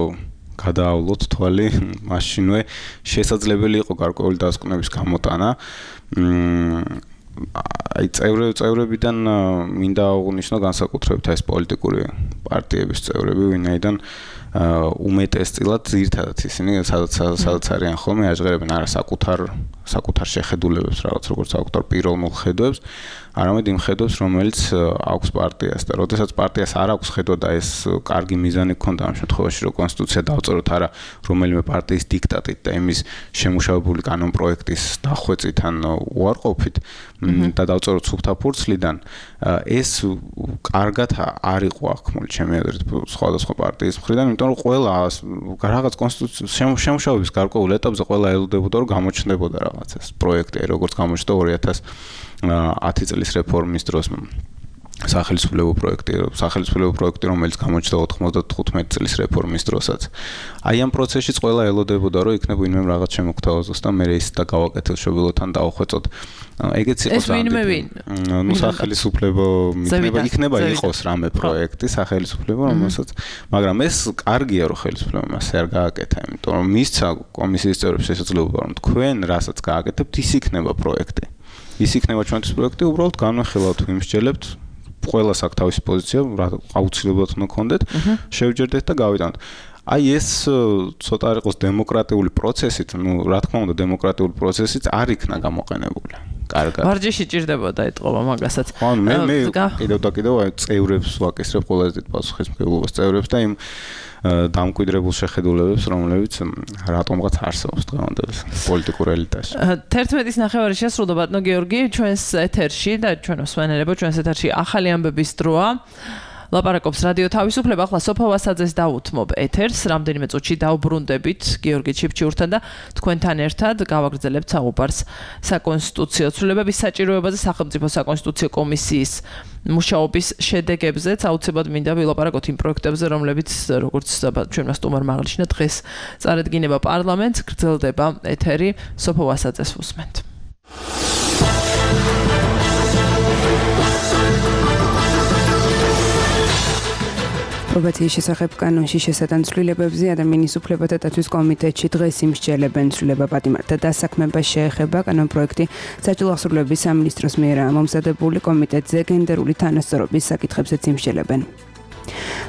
Speaker 4: გადაავლოთ თვალი, მაშინვე შესაძლებელი იყო გარკვეული დასკვნების გამოტანა. აი წევრები წევრებიდან მინდა აღვნიშნო განსაკუთრებით ეს პოლიტიკური პარტიების წევრები, ვინაიდან უმეტესწილად ძირთადად ისინი სადაც სადაც არიან ხოლმე აჟღერებენ არა საკუთარ საკუთარ შეხედულებებს, რაღაც როგორც საკუთარ პიროვნულ ხედვებს, არამედ იმ ხედვებს, რომელიც აქვს პარტიას და როდესაც პარტიას არ აქვს ხედვა და ეს კარგი მიზანი გქონდა ამ შემთხვევაში, რომ კონსტიტუცია დავწეროთ არა რომელიმე პარტიის დიქტატით და იმის შემუშავებული კანონპროექტის დახვეწით ან უარყოფით და დავწეროთ სუფთა ფურცლიდან, ეს კარგად არ იყო აღქმული ჩემი აზრით სხვადასხვა პარტიის მხრიდან, იმიტომ რომ ყველა რაღაც კონსტიტუციის შემუშავების გარკვეულ ეტაპზე ყველა ელოდებოდა, რომ გამოჩნდებოდა რაღაც ეს პროექტი, როგორც გამოჩნდა ორი ათას ათი წლის რეფორმის დროს სახელმწიფო პროექტი, სახელმწიფო პროექტი, რომელიც გამოჩნდა ოთხმოცდათხუთმეტი წლის რეფორმის დროსაც. აი ამ პროცესშიც ყველა ელოდებოდა, რომ იქნება ვინმე რაღაც შემოგთავაზოს და მე ის და გავაკეთილშობილოთან დავხვეწოთ. ეგეც იყო
Speaker 3: სამდები.
Speaker 4: ნუ სახელმწიფო იქნება იქნება იყოს რამე პროექტი სახელმწიფო, რომელსაც, მაგრამ ეს კარგია, რომ ხელისუფლებამ მას არ გააკეთა, იმიტომ რომ მისცა კომისიის წევრებს შესაძლებლობა, რომ თქვენ რასაც გააკეთებთ, ის იქნება პროექტი. ის იქნება ჩვენთვის პროექტი, უბრალოდ განვეხილავთ, ვიმსჯელებთ ყველას აქვს თავისი პოზიცია, რა აუცილებლად უნდა გქონდეთ, შევჯერდეთ და გავიტანოთ. აი ეს ცოტა არ იყოს დემოკრატიული პროცესით, ну, რა თქმა უნდა, დემოკრატიული პროცესით არ იქნა გამოყენებული. კარგად.
Speaker 3: ვარჯიში ჭირდებოდა ეთყობა მაგასაც.
Speaker 4: ხო, მე მე კიდევ და კიდევ აი წევრებს ვაკისრებ ყველაზე დიდ პასუხისმგებლობას წევრებს და იმ დამკვიდრებულ შეხედულებებს, რომლებიც რატომღაც არსებობს დღევანდელ პოლიტიკურ ელიტაში.
Speaker 3: თერთმეტის ნახევარი შესრულდა ბატონო გიორგი ჩვენს ეთერში და ჩვენ მსმენელებო ჩვენს ეთერში ახალი ამბების დროა. ლაპარაკობს რადიო თავისუფლება, ახლა სოფო ვასაძეს დაუთმობ ეთერს, რამდენიმე წუთში დავბრუნდებით გიორგი ჩიფჩიურთან და თქვენთან ერთად გავაგრძელებთ საუბარს საკონსტიტუციო ცვლილებების საჭიროებაზე სახელმწიფო საკონსტიტუციო კომისიის მუშაობის შედეგებზეც აუცილებლად მინდა ვილაპარაკოთ იმ პროექტებზე, რომლებიც როგორც ჩვენმა სტუმარმა აღნიშნა დღეს წარედგინება პარლამენტს, გრძელდება ეთერი, სოფო ვასაძეს უსმენთ.
Speaker 2: პრობაციის შესახებ კანონში შესატან ცვლილებებზე ადამიანის უფლებათა დაცვის კომიტეტში დღეს იმსჯელებენ ცვლილება პატიმართა დასაქმებას შეეხება კანონპროექტი საჯარო აღსრულების სამინისტროს მიერ მომზადებული კომიტეტზე გენდერული თანასწორობის საკითხებზეც იმსჯელებენ.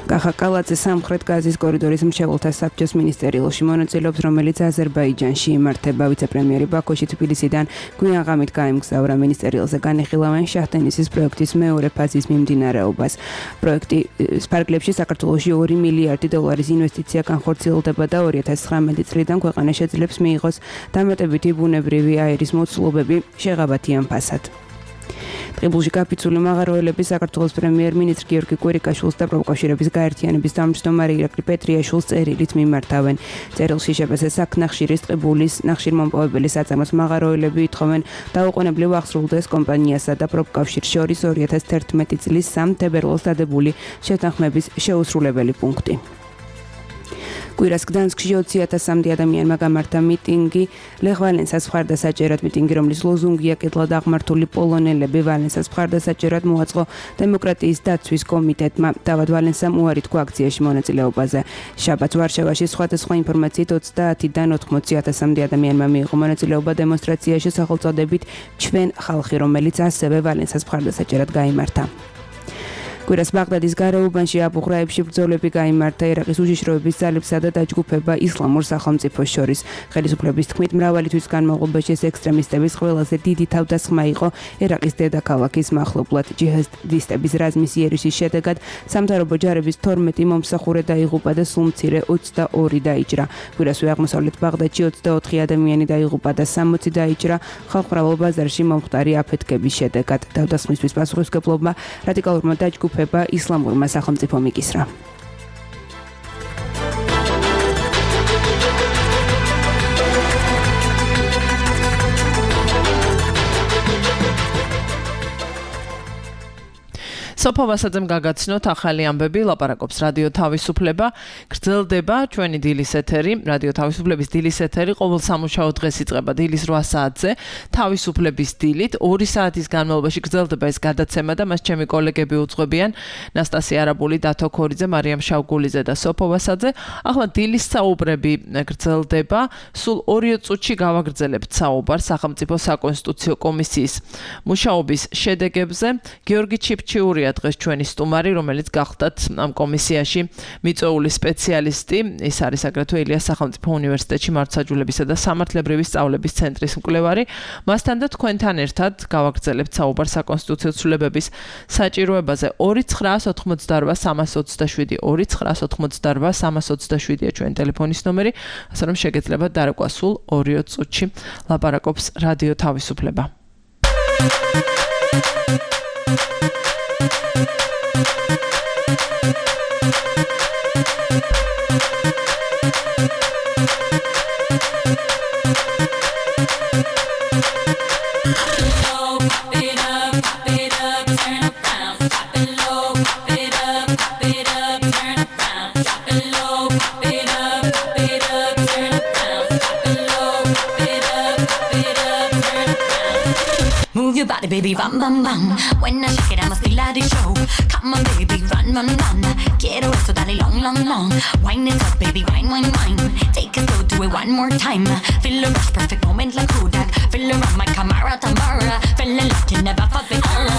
Speaker 2: კახა კალაძე სამხრეთ გაზის კორიდორის მრჩეველთა საბჭოს მინისტერიალში მონაწილეობს, რომელიც აზერბაიჯანში იმართება. ვიცე-პრემიერი ბაქოში თბილისიდან გვიან ღამით გაემგზავრა მინისტერიალზე განიხილავენ შაჰ-დენისის პროექტის მეორე ფაზის მიმდინარეობას. პროექტის ფარგლებში საქართველოში ორი მილიარდი დოლარის ინვესტიცია განხორციელდება და ორი ათას ცხრამეტი წლიდან ქვეყანა შეძლებს მიიღოს დამატებითი ბუნებრივი აირის მოცულობები შეღავათიან ფასად. ტყიბულში გაფიცული მაღაროელები საქართველოს პრემიერ-მინისტრ გიორგი კვირიკაშვილს და პროფკავშირების გაერთიანების თავმჯდომარე ირაკლი პეტრიაშვილს წერილით მიმართავენ. წერილში შპს საქნახშირის ტყიბულის ნახშირმომპოვებელი საწარმოს მაღაროელები ითხოვენ დაუყოვნებლივ აღსრულდეს კომპანიასა და პროფკავშირს შორის ორი ათას თერთმეტი წლის სამ თებერვალს დადებული შეთანხმების შეუსრულებელი პუნქტი. კვირას გდანსკში ოცი ათასამდე ადამიანმა გამართა მიტინგი ლეხ ვალენსას მხარდასაჭერად. მიტინგი, რომლის ლოზუნგია კეთილად აღმართული პოლონელები ვალენსას მხარდასაჭერად მოაწყო დემოკრატიის დაცვის კომიტეტმა. დავად ვალენსამ უარი თქვა აქციაში მონაწილეობაზე. შაბათს ვარშავაში სხვადასხვა ინფორმაციით ოცდაათიდან ოთხმოცი ათასამდე ადამიანმა მიიღო მონაწილეობა დემონსტრაციაში სახელწოდებით ჩვენ ხალხი, რომელიც ასევე ვალენსას მხარდასაჭერად გაიმართა. კვირას ბაღდადის გარეუბანში აბუღრაებში ბრძოლები გაიმართა ერაყის უშიშროების ძალებსა და დაჯგუფება ისლამურ სახელმწიფოს შორის. ხელისუფლების თქმით, მრავალი თვის განმავლობაში ეს ექსტრემისტების ყველაზე დიდი თავდასხმა იყო ერაყის დედაქალაქის მახლობლად. ჯიჰადისტების რაზმის იერიშის შედეგად სამთავრობო ჯარების თორმეტი მომსახურე დაიღუპა და სულ მცირე ოცდაორი დაიჭრა. კვირასვე აღმოსავლეთ ბაღდადში ოცდაოთხი ადამიანი დაიღუპა და სამოცი დაიჭრა ხალხმრავალ ბაზარში მომხდარი აფეთქების შედეგად. თავდასხმისთვის პასუხისმგებლობა რადიკალურმა დაჯგუფებამ ისლამურმა სახელმწიფომ იკისრა.
Speaker 3: სოფო ვასაძემ გაგაცნოთ ახალი ამბები, ლაპარაკობს რადიო თავისუფლება, გრძელდება ჩვენი დილის ეთერი, რადიო თავისუფლების დილის ეთერი ყოველ სამუშაო დღეს იწყება დილის რვა საათზე, თავისუფლების დილით, ორი საათის განმავლობაში გრძელდება ეს გადაცემა და მას ჩემი კოლეგები უძღვებიან, ნასტასია არაბული, დათო ქორიძე, მარიამ შავგულიძე და სოფო ვასაძე. ახლა დილის საუბრები გრძელდება, სულ ორი წუთში გავაგრძელებთ საუბარს სახელმწიფო საკონსტიტუციო კომისიის მუშაობის შედეგებზე. გიორგი ჩიფჩიურია დღეს ჩვენი სტუმარი, რომელიც გახდათ ამ კომისიაში მიწვეული სპეციალისტი. ის არის აგრეთვე ილიას სახელმწიფო უნივერსიტეტში მართლმსაჯულებისა და სამართლებრივი სწავლების ცენტრის მკვლევარი. მასთან და თქვენთან ერთად გავაგრძელებთ საუბარს საკონსტიტუციო ცვლილებების საჭიროებაზე. ორი ცხრაას ოთხმოცდარვა სამას ოცდაშვიდი ორი ცხრაას ოთხმოცდარვა სამას ოცდაშვიდია ჩვენი ტელეფონის ნომერი, ასე რომ შეგეძლებათ დარეკვა სულ ორი წუთში. ლაპარაკობს რადიო თავისუფლება.
Speaker 5: Your body, baby, bam, bam, bam. When I shake it, I must feel like the show. Come on, baby, run, run, run. Quiero esto, dale long, long, long. Wine it up, baby, wine, wine, wine. Take it slow, do it one more time. Feel a rush, perfect moment like Kodak. Feel around my Camara, Tamara. Feel like you never felt before.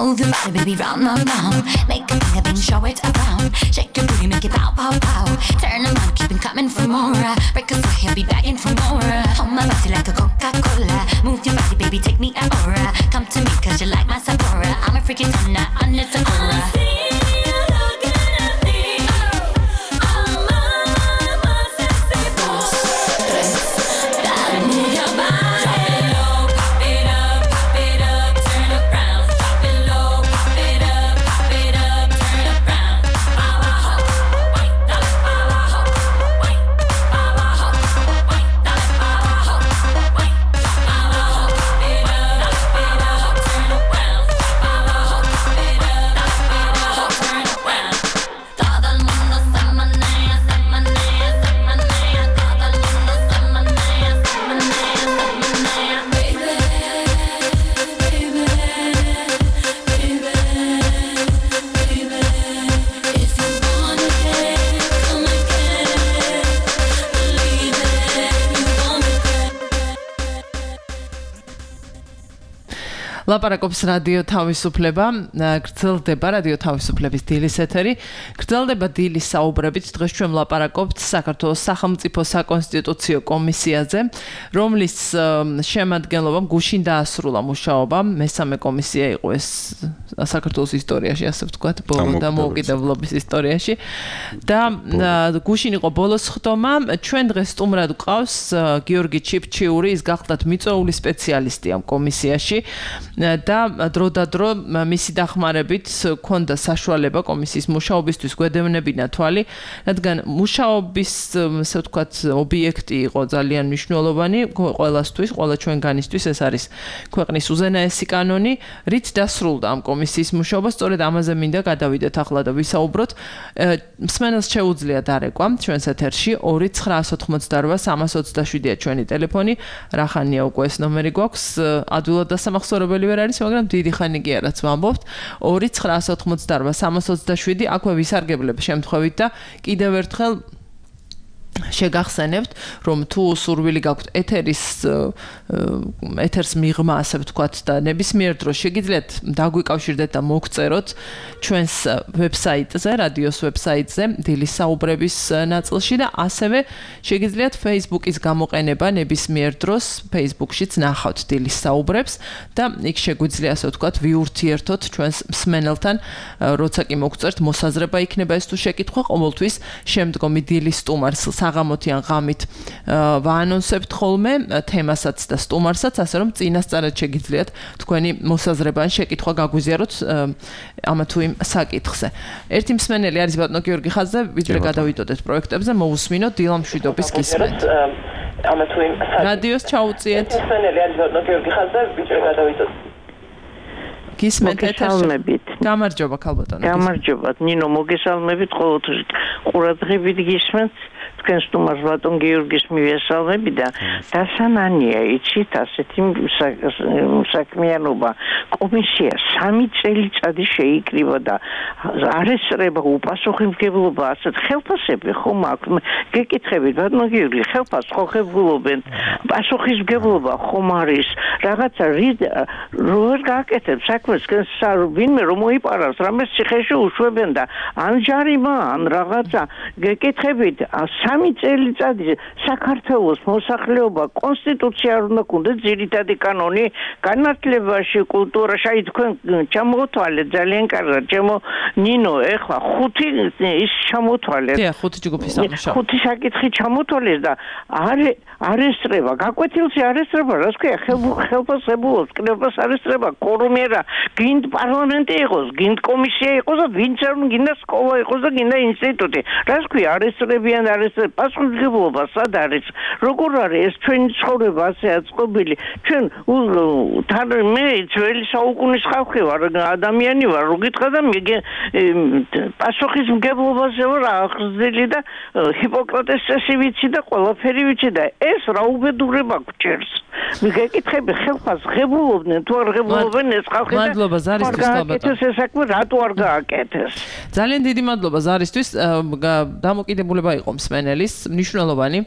Speaker 5: Move your body, baby, round, round, round. Make a thing, a thing, show it around. Shake your booty, make it pow, pow, pow. Turn them on, keep it coming for more. Break a sweat, he'll be begging for more. Hold my body like a Coca-Cola. Move your body, baby, take me an aura. Come to me, cause you like my Sephora. I'm a freaking tenor, under Sephora.
Speaker 3: ლაპარაკობს რადიო თავისუფლება, გრძელდება რადიო თავისუფლების დილის ეთერი. გრძელდება დილის საუბრებით. დღეს ჩვენ ლაპარაკობთ საქართველოს სახელმწიფო საკონსტიტუციო კომისიაზე, რომლის შემადგენლობამ გუშინ დაასრულა მუშაობა. მესამე კომისია იყო ეს საქართველოს ისტორიაში, ასე ვთქვათ, ბოლო დამოუკიდებლობის ისტორიაში. და გუშინ იყო ბოლოს ხდომა. ჩვენ დღეს სტუმრად გვყავს გიორგი ჩიფჩიური, ის გახლდათ მიწვეული სპეციალისტი ამ კომისიაში. და დროდადრო მისი დახმარებით ქონდა საშუალება კომისიის მუშაობისთვის გვედევნებინა თვალი, რადგან მუშაობის, ასე ვთქვათ, ობიექტი იყო ძალიან მნიშვნელოვანი ყველასთვის, ყველა ჩვენგანისთვის. ეს არის ქვეყნის უზენაესი კანონი, რით დასრულდა ამ კომისიის მუშაობა. სწორედ ამაზე მინდა გადავიდეთ ახლა და ვისაუბროთ. მსმენელს შეუძლია დარეკვა ჩვენს ეთერში ორი ცხრა ოთხმოცდაოთხ სამას ოცდაშვიდია ჩვენი ტელეფონი. რახანია უკვე ეს ნომერი გვაქვს, ადვილად დასამახსოვრებელი ვერ არის, მაგრამ დიდი ხანი კი არაც ვამბობთ. ორი ცხრა ოთხმოცდაოთხ სამას ოცდაშვიდი აქვე ვისარგებლებ შემთხვევით და კიდევ ერთხელ შეგახსენებთ, რომ თუ სურვილი გაქვთ ეთერის ეთერს მიღმა, ასე ვთქვათ, და ნებისმიერ დროს შეგიძლიათ დაგვიკავშირდეთ და მოგწეროთ ჩვენს ვებსაიტზე, რადიოს ვებსაიტზე, დილის საუბრების ნაწილში და ასევე შეგიძლიათ Facebook-ის გამოყენება ნებისმიერ დროს Facebook-შიც ნახავთ დილის საუბრებს და იქ შეგვიძლია, ასე ვთქვათ, ვიურთიერთოთ ჩვენს მსმენელთან, როცა კი მოგწერთ, მოსაზრება იქნება ეს თუ შეკითხვა, ყოველთვის შემდგომი დილის სტუმარს საღამოთიან ღამით ვაანონსებთ ხოლმე თემასაც და სტუმარსაც, ასე რომ წინასწარად შეგიძლიათ თქვენი მოსაზრება ან შეკითხვა გაგვიზიაროთ ამა თუ იმ საკითხზე. ერთი მსმენელი არის ბატონო გიორგი ხაზზე, ვიდრე გადავიდოდეთ პროექტებზე, მოусმინოთ დილამშვიდობის გისმენთ. ამა თუ იმ რადიოს ჩაუწიეთ. მსმენელი არის ბატონო გიორგი ხაზზე, ვიდრე გადავიდოდეთ. გისმენთ ეთერში. გამარჯობა ქალბატონო.
Speaker 6: გამარჯობა. ნინო მოგესალმებით, ყოველთვის ყურადღებით გისმენთ. თქვენ სტუმარს ბატონ გიორგის მივესალმები და დასანანია იცით ასეთი საქმიანობა. კომისია სამი წელიწადი შეიკრიბა და არ ესწრება უპასუხისმგებლობა ასეთ ხელფასები ხომ აქვს. გეკითხებით ბატონ გიორგი, ხელფასს ხო ხებულობენ? პასუხისმგებლობა ხომ არის? რაღაცა როგორ გააკეთებ საქმეს, ვინმე რომ მოიპარავს, რამეს ციხეში უშვებენ და ან ჯარიმა, ან რაღაცა. გეკითხებით სამი წელიწადი საქართველოს მოსახლეობა კონსტიტუცია არ უნდა გქონდეს, ძირითადი კანონი განათლებაში, კულტურაში. აი თქვენ ჩამოთვალეთ ძალიან კარგად, ჩემო ნინო, ეხლა ხუთი ის ჩამოთვალეთ.
Speaker 3: დიახ, ხუთი ჯგუფი სამუშაო.
Speaker 6: ხუთი საკითხი ჩამოთვალეს და არ არ ესწრება, გაკვეთილში არ ესწრება, რას ქვია, ხელფასებულობს, კნებას არ ესწრება, კორუმერა, გინდ პარლამენტი იყოს, გინდ კომისია იყოს და ვინც არ გინდა სკოლა იყოს და გინდა ინსტიტუტი. რას ქვია, არ ესწრებიან, არ ესწრება პასუხისმგებლობა სად არის? როგორ არის ეს ჩვენი ცხოვრება ასე აწყობილი? ჩვენ თან მე ძველი საუკუნის ხალხი ვარ, ადამიანი ვარ, რო გითხრა და მე პასუხისმგებლობაზე ვარ აღზრდილი და ჰიპოკრატეს წესი ვიცი და ყველაფერი ვიცი და ეს რა უბედურება გვჭერს. მიგეკითხები ხელფას ღებულობდნენ თუ არ ღებულობენ ეს ხალხი და
Speaker 3: მადლობა ზარისთვის
Speaker 6: გააკეთეს ეს საქმე რატო არ გააკეთეს
Speaker 3: ძალიან დიდი მადლობა ზარისთვის დამოკიდებულება იყო მსმენელის მნიშვნელოვანი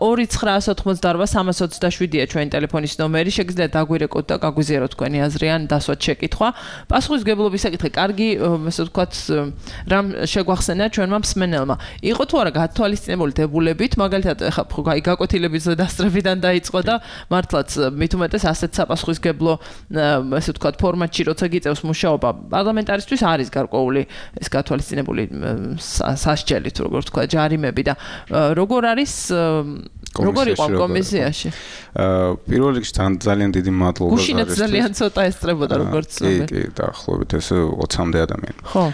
Speaker 3: ორი ცხრაას ოთხმოცდაორვა სამას ოცდაშვიდია ჩვენი ტელეფონის ნომერი შეგიძლიათ დაგვირეკოთ და გაგვიზიაროთ თქვენი აზრი ან დასვათ შეკითხვა პასუხისმგებლობის საკითხი კარგი ესე ვთქვათ რამ შეგვახსენა ჩვენმა მსმენელმა იყო თუ არა გათვალისწინებული დებულებით მაგალითად ახლა გაკვეთილების დასწრებიდან დაიწყო და მართლაც მით უმეტეს ასეთ საპასუხისმგებლო ესე ვთქვათ ფორმატში როცა გიწევს მუშაობა პარლამენტარისთვის არის გარკვეული ეს გათვალისწინებული სასჯელი თუ როგორ ვთქვა ჯარიმები და როგორ არის როგორ იყო კომისიაში
Speaker 4: პირველ რიგში ძალიან დიდი მადლობა
Speaker 3: გუშინაც ძალიან ცოტა ესწრებოდა როგორც
Speaker 4: კი კი დაახლოებით ეს ოცამდე ადამიანი
Speaker 3: ხო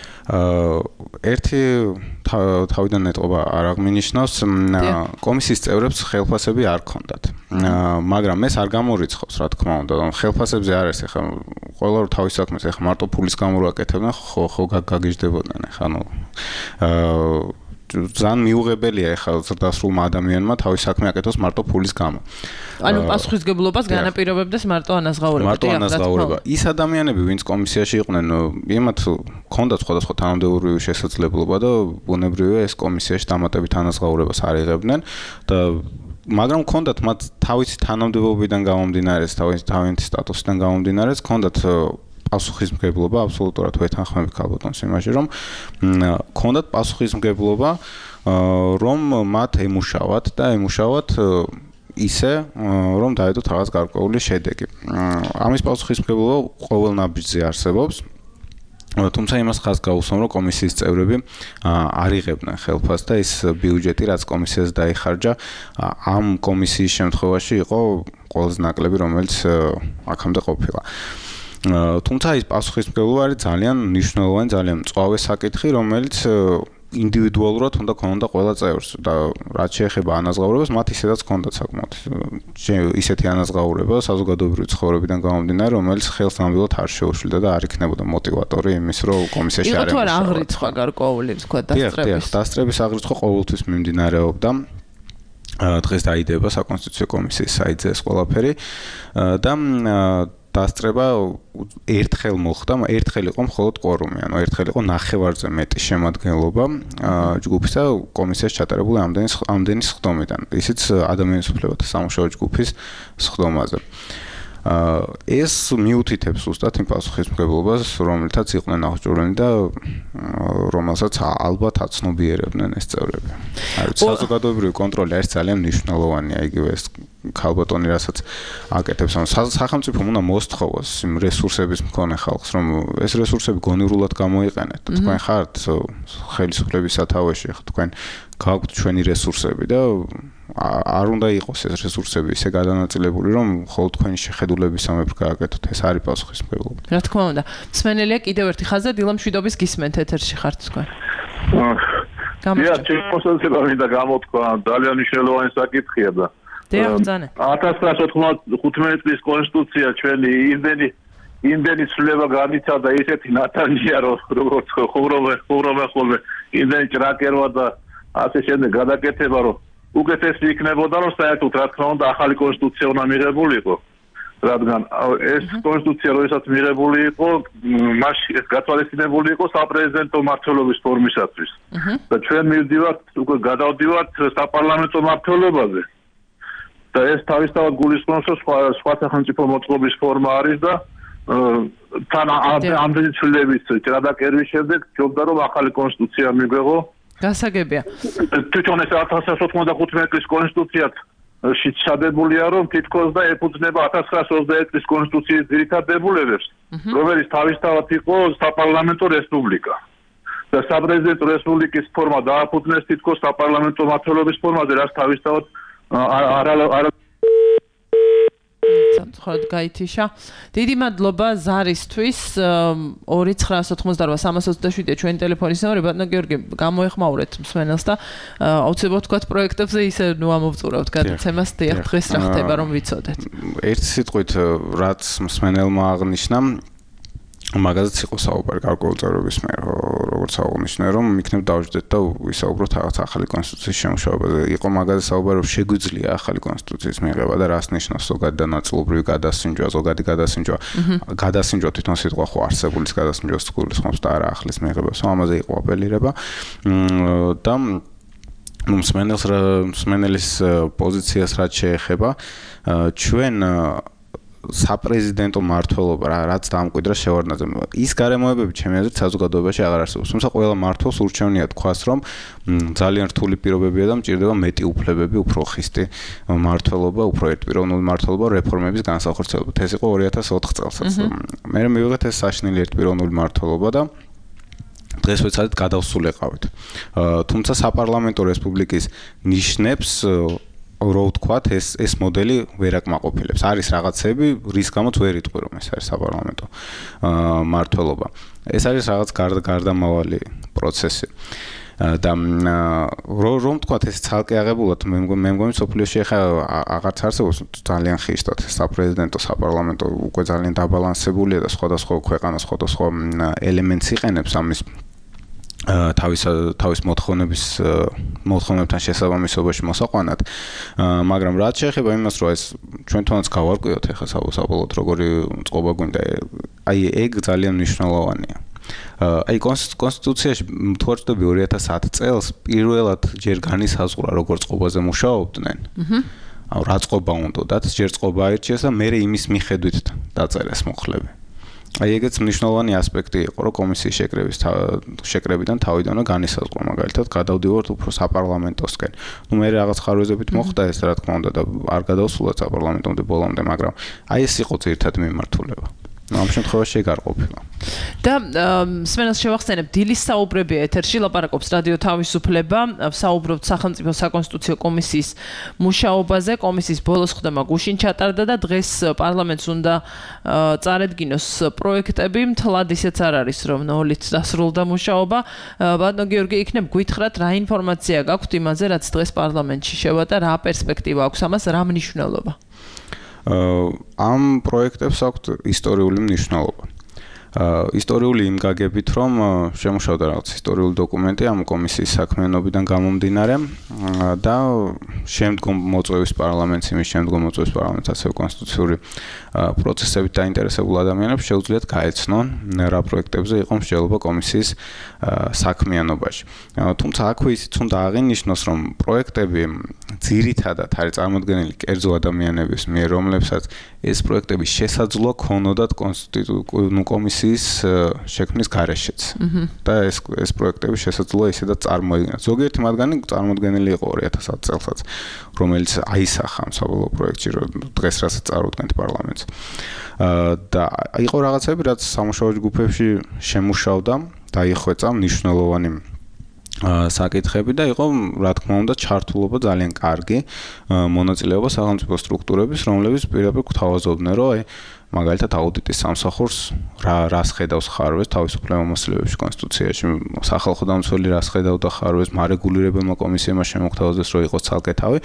Speaker 4: ერთი თავიდან ეტყობა არ აღმინიშნავს კომისიის წევრებს ხელფასები არ ქონდათ მაგრამ ეს არ გამორიცხავს რა თქმა უნდა ხელფასებზე არ არის ახლა ყველა რო თავის საქმეს ახლა მარტო ფულის გამო რო აკეთებდნენ ხო ხო გაგიჟდებოდნენ ახლა ნუ ძალიან მიუღებელია ახლა ზრდასრულმა ადამიანმა თავის საქმე აკეთოს მარტო ფულის გამო.
Speaker 3: ანუ პასუხისმგებლობას განაპირობებდეს მარტო ანაზღაურება.
Speaker 4: მარტო ანაზღაურება. ის ადამიანები, ვინც კომისიაში იყვნენ, იმათ ჰქონდათ სხვადასხვა თანამდებობრივი შესაძლებლობა და ბუნებრივია ეს კომისიაში დამატებით ანაზღაურებას არ იღებდნენ და მაგრამ ჰქონდათ მათ თავისი თანამდებობიდან გამომდინარე, თავისი თავიანთი სტატუსიდან გამომდინარე, ჰქონდათ პასუხისმგებლობა აბსოლუტურად ვეთანხმები ქალბატონს იმაში რომ ჰქონდათ პასუხისმგებლობა რომ მათ ემუშავათ და ემუშავათ ისე რომ დაედოთ რაღაც გარკვეული შედეგი. ამის პასუხისმგებლობა ყოველ ნაბიჯზე არსებობს. თუმცა იმას ხაზს გაუსვამ რომ კომისიის წევრები არ იღებდნენ ხელფასს და ის ბიუჯეტი რაც კომისიას დაიხარჯა ამ კომისიის შემთხვევაში იყო ყველაზე ნაკლები რომელიც აქამდე ყოფილა. თუმცა ის პასუხისმგებლობა არის ძალიან მნიშვნელოვანი, ძალიან მწვავე საკითხი, რომელიც ინდივიდუალურად უნდა ქონოდა ყველა წევრს და რაც შეეხება ანაზღაურებას, მათ ისედაც ქონდათ საკმაოდ ისეთი ანაზღაურება საზოგადოებრივი ცხოვრებიდან გამომდინარე, რომელიც ხელს ნამდვილად არ შეუშლიდა და არ იქნებოდა мотиваტორი იმის, რომ კომისიაში არ
Speaker 3: იყო. იყო თუ არა აღრიცხვა გარკვეული, თქვა დასწრების.
Speaker 4: დასწრების აღრიცხვა ყოველთვის მიმდინარეობდა. დღეს დაიდება საკონსტიტუციო კომისიის საიტზე ეს ყველაფერი და დასწრება ერთხელ მოხდა, ერთხელ იყო მხოლოდ კვორუმი, ანუ ერთხელ იყო ნახევარზე მეტი შემადგენლობა ჯგუფის და კომისიაში ჩატარებული ამდენი ამდენი სხდომიდან. ისიც ადამიანის უფლებათა სამუშაო ჯგუფის სხდომაზე. ეს მიუთითებს უბრალოდ იმ პასუხისმგებლობას, რომელთაც იყვნენ აღჭურვილი და რომელსაც ალბათ აცნობიერებდნენ ეს წევრები. არის საზოგადოებრივი კონტროლი არის ძალიან მნიშვნელოვანია იგივე ეს ქალბატონი რასაც აკეთებს ამ სახელმწიფო უნდა მოსთხოვოს იმ რესურსების მქონე ხალხს რომ ეს რესურსები გონივრულად გამოიყენეთ. თქვენ ხართ ხელისუფლების სათავეში, ხო თქვენ გაქვთ ჩვენი რესურსები და არ უნდა იყოს ეს რესურსები ისე გადანაწილებული რომ მხოლოდ თქვენი შეხედულების სამეფ გააკეთოთ. ეს არის პასუხისმგებლობა.
Speaker 3: რა თქმა უნდა. მსმენელია კიდევ ერთი ხაზი დილა მშვიდობის გისმენთ ეთერში ხართ თქვენ.
Speaker 7: გამარჯობა. ჩემოსელება მინდა გამოთქვა ძალიან მნიშვნელოვანი საკითხია და ათას ცხრაას ოცდათხუთმეტი წლის კონსტიტუცია ჩვენი იმდენი იმდენი ცვლილება განიცადა ისეთი ნათანია რომ როგორც ხუროვე ხუროვე ხოლმე იმდენი ჭრაკერვა და ასე შემდეგ გადაკეთება რომ უკეთესი იქნებოდა რომ საერთოდ რა თქმა უნდა ახალი კონსტიტუცია უნდა მიღებულიყო რადგან ეს კონსტიტუცია როდესაც მიღებული იყო მასში ეს გათვალისწინებული იყო საპრეზიდენტო მმართველობის ფორმისათვის და ჩვენ მივდივართ უკვე გადავდივართ საპარლამენტო მმართველობაზე და ეს თავისთავად გულისხმობს რომ სხვა სხვა სახელმწიფო მოწყობის ფორმა არის და თან ამდენი ცვლილების გადაკერვის შემდეგ ჯობდა რომ ახალი კონსტიტუცია მიგვეღო
Speaker 3: გასაგებია.
Speaker 7: თვითონ ეს ათას ცხრაას ოცდათხუთმეტი წლის კონსტიტუციაც შეჩადებულია რომ თითქოს და ეფუძნება ათას ცხრაას ოცდაერთი წლის კონსტიტუციის ძირითად დებულებებს, რომელიც თავისთავად იყო საპარლამენტო რესპუბლიკა. და საპრეზიდენტო რესპუბლიკის ფორმა დააფუძნეს თითქოს საპარლამენტო მმართველობის ფორმაზე, რაც თავისთავად არ არ
Speaker 3: ხოდ გაითიშა. დიდი მადლობა ზარისთვის. ორი ცხრაას ოცდაორვა სამას ოცდაშვიდია ჩვენი ტელეფონის ნომერი. ბატონო გიორგი, გამოეხმაურეთ მსმენელს და აუცილებლად თქვათ პროექტებზე ისე ნუ ამოვწურავთ გადაცემას დიახ დღეს რა ხდება რომ ვიცოდეთ.
Speaker 4: ერთ სიტყვით რაც მსმენელმა აღნიშნა მაგაზეც იყო საუბარი გარკვეულწევრების მიერ, როგორც აღნიშნე, რომ იქნებ დავждეთ და ვისაუბროთ რაღაც ახალი კონსტიტუციის შემუშავებაზე. იყო მაგაზე საუბარი, რომ შეგვიძლია ახალი კონსტიტუციის მიღება და რას ნიშნავს ზოგადი და ნაწილობრივი გადასინჯვა, ზოგადი გადასინჯვა. გადასინჯვა თვითონ სიტყვა ხო არსებულის გადასინჯვას გულისხმობს და არა ახლის მიღებას. ამაზე იყო აპელირება და ну მსმენელს მსმენელის პოზიციას რაც შეეხება ჩვენ საპრეზიდენტო მმართველობა რაც დამკვიდრა შევარდნაძე ის გარემოებები ჩემი აზრით საზოგადოებაში აღარ არსებობს. თუმცა ყველა მმართველს ურჩევნია თქვას, რომ ძალიან რთული პირობებია და მჭირდება მეტი უფლებები, უფრო ხისტი მმართველობა, უფრო ერთპიროვნული მმართველობა რეფორმების განსახორციელებლად. ეს იყო ორი ათას ოთხ წელსაც. მე მივიღეთ ეს საშინელი ერთპიროვნული მმართველობა და დღეს ვეცადეთ გადავსულიყავით. თუმცა საპარლამენტო რესპუბლიკის ნიშნებს რო ვთქვათ, ეს ეს მოდელი ვერ აკმაყოფილებს. არის რაღაცები, რის გამოც ვერ იტყვი, რომ ეს არის საპარლამენტო მმართველობა. ეს არის რაღაც გარდამავალი პროცესი. და რომ ვთქვათ, ეს ცალკე აღებულად მე მგონი სოფლიოში ახლა აღარც არსებობს ძალიან ხისტად საპრეზიდენტო საპარლამენტო უკვე ძალიან დაბალანსებულია და სხვადასხვა ქვეყანა სხვადასხვა ელემენტს იყენებს ამის თავის თავის მოთხოვნების მოთხოვნებთან შესაბამისობაში მოსაყვანად, მაგრამ რაც შეეხება იმას, რომ ეს ჩვენ თვითონაც გავარკვიოთ ახლა საბოლოოდ როგორი წყობა გვინდა, აი ეგ ძალიან მნიშვნელოვანია. აი კონსტიტუციაში თუ არ ვწდები ორი ათას ათი წელს პირველად ჯერ განისაზღვრა როგორ წყობაზე მუშაობდნენ. აუ რა წყობა უნდათ, ჯერ წყობა აირჩიეს და მერე იმის მიხედვით დაწერეს მუხლები. აი ეგეც მნიშვნელოვანი ასპექტი იყო, რომ კომისიის შეკრების შეკრებიდან თავიდანვე განისაზღვრა, მაგალითად, გადავდივართ უფრო საპარლამენტოსკენ. ნუ მე რაღაც ხარვეზებით მოხდა ეს, რა თქმა უნდა, და არ გადავსულოთ საპარლამენტომდე ბოლომდე, მაგრამ აი ეს იყო ძირითადი მიმართულება. ამ შემთხვევაში ეგ არ ყოფილა.
Speaker 3: და მსმენელს შევახსენებ, დილის საუბრები ეთერში ლაპარაკობს რადიო თავისუფლება, საუბრობთ სახელმწიფო საკონსტიტუციო კომისიის მუშაობაზე, კომისიის ბოლოს ხდება გუშინ ჩატარდა და დღეს პარლამენტს უნდა წარედგინოს პროექტები, მთლად ისეც არ არის, რომ ნოლით დასრულდა მუშაობა. ბატონო გიორგი, იქნებ გვითხრათ, რა ინფორმაცია გაქვთ იმაზე, რაც დღეს პარლამენტში შევა და რა პერსპექტივა აქვს ამას, რა მნიშვნელობა?
Speaker 4: ამ პროექტებს აქვთ ისტორიული მნიშვნელობა. ისტორიული იმ გაგებით, რომ შემუშავდა რაღაც ისტორიული დოკუმენტი ამ კომისიის საქმიანობიდან გამომდინარე და შემდგომ მოწვევის პარლამენტს, იმის შემდგომ მოწვევის პარლამენტს ასევე კონსტიტუციური პროცესებით დაინტერესებულ ადამიანებს შეუძლიათ გაეცნონ რა პროექტებზე იყო მსჯელობა კომისიის საქმიანობაში. თუმცა აქვე ისიც უნდა აღინიშნოს, რომ პროექტები ძირითადად არის წარმოდგენილი კერძო ადამიანების მიერ, რომლებსაც ეს პროექტები შესაძლოა ქონოდათ კონსტიტუციური კომისიის შექმნის გარეშეც. და ეს ეს პროექტები შესაძლოა ისედაც წარმოიდგინათ. ზოგიერთი მათგანი წარმოდგენილი იყო ორი ათას ათი წელსაც, რომელიც აისახა ამ საბოლოო პროექტში, დღეს რასაც წარუდგენთ პარლამენტს. და იყო რაღაცები, რაც სამუშაო ჯგუფებში შემუშავდა, დაიხვეწა მნიშვნელოვანი საკითხები და იყო, რა თქმა უნდა, ჩართულობა ძალიან კარგი მონაწილეობა სახელმწიფო სტრუქტურების, რომლებიც პირდაპირ გვთავაზობდნენ, რომ აი მაგალითად აუდიტის სამსახურს რა რას ხედავს ხარვეს თავისუფლება მოსლებებში კონსტიტუციაში, სახალხო დამცველი რას ხედავდა ხარვეს, მარეგულირებელმა კომისიებმა შემოგთავაზეს, რომ იყოს ცალკე თავი.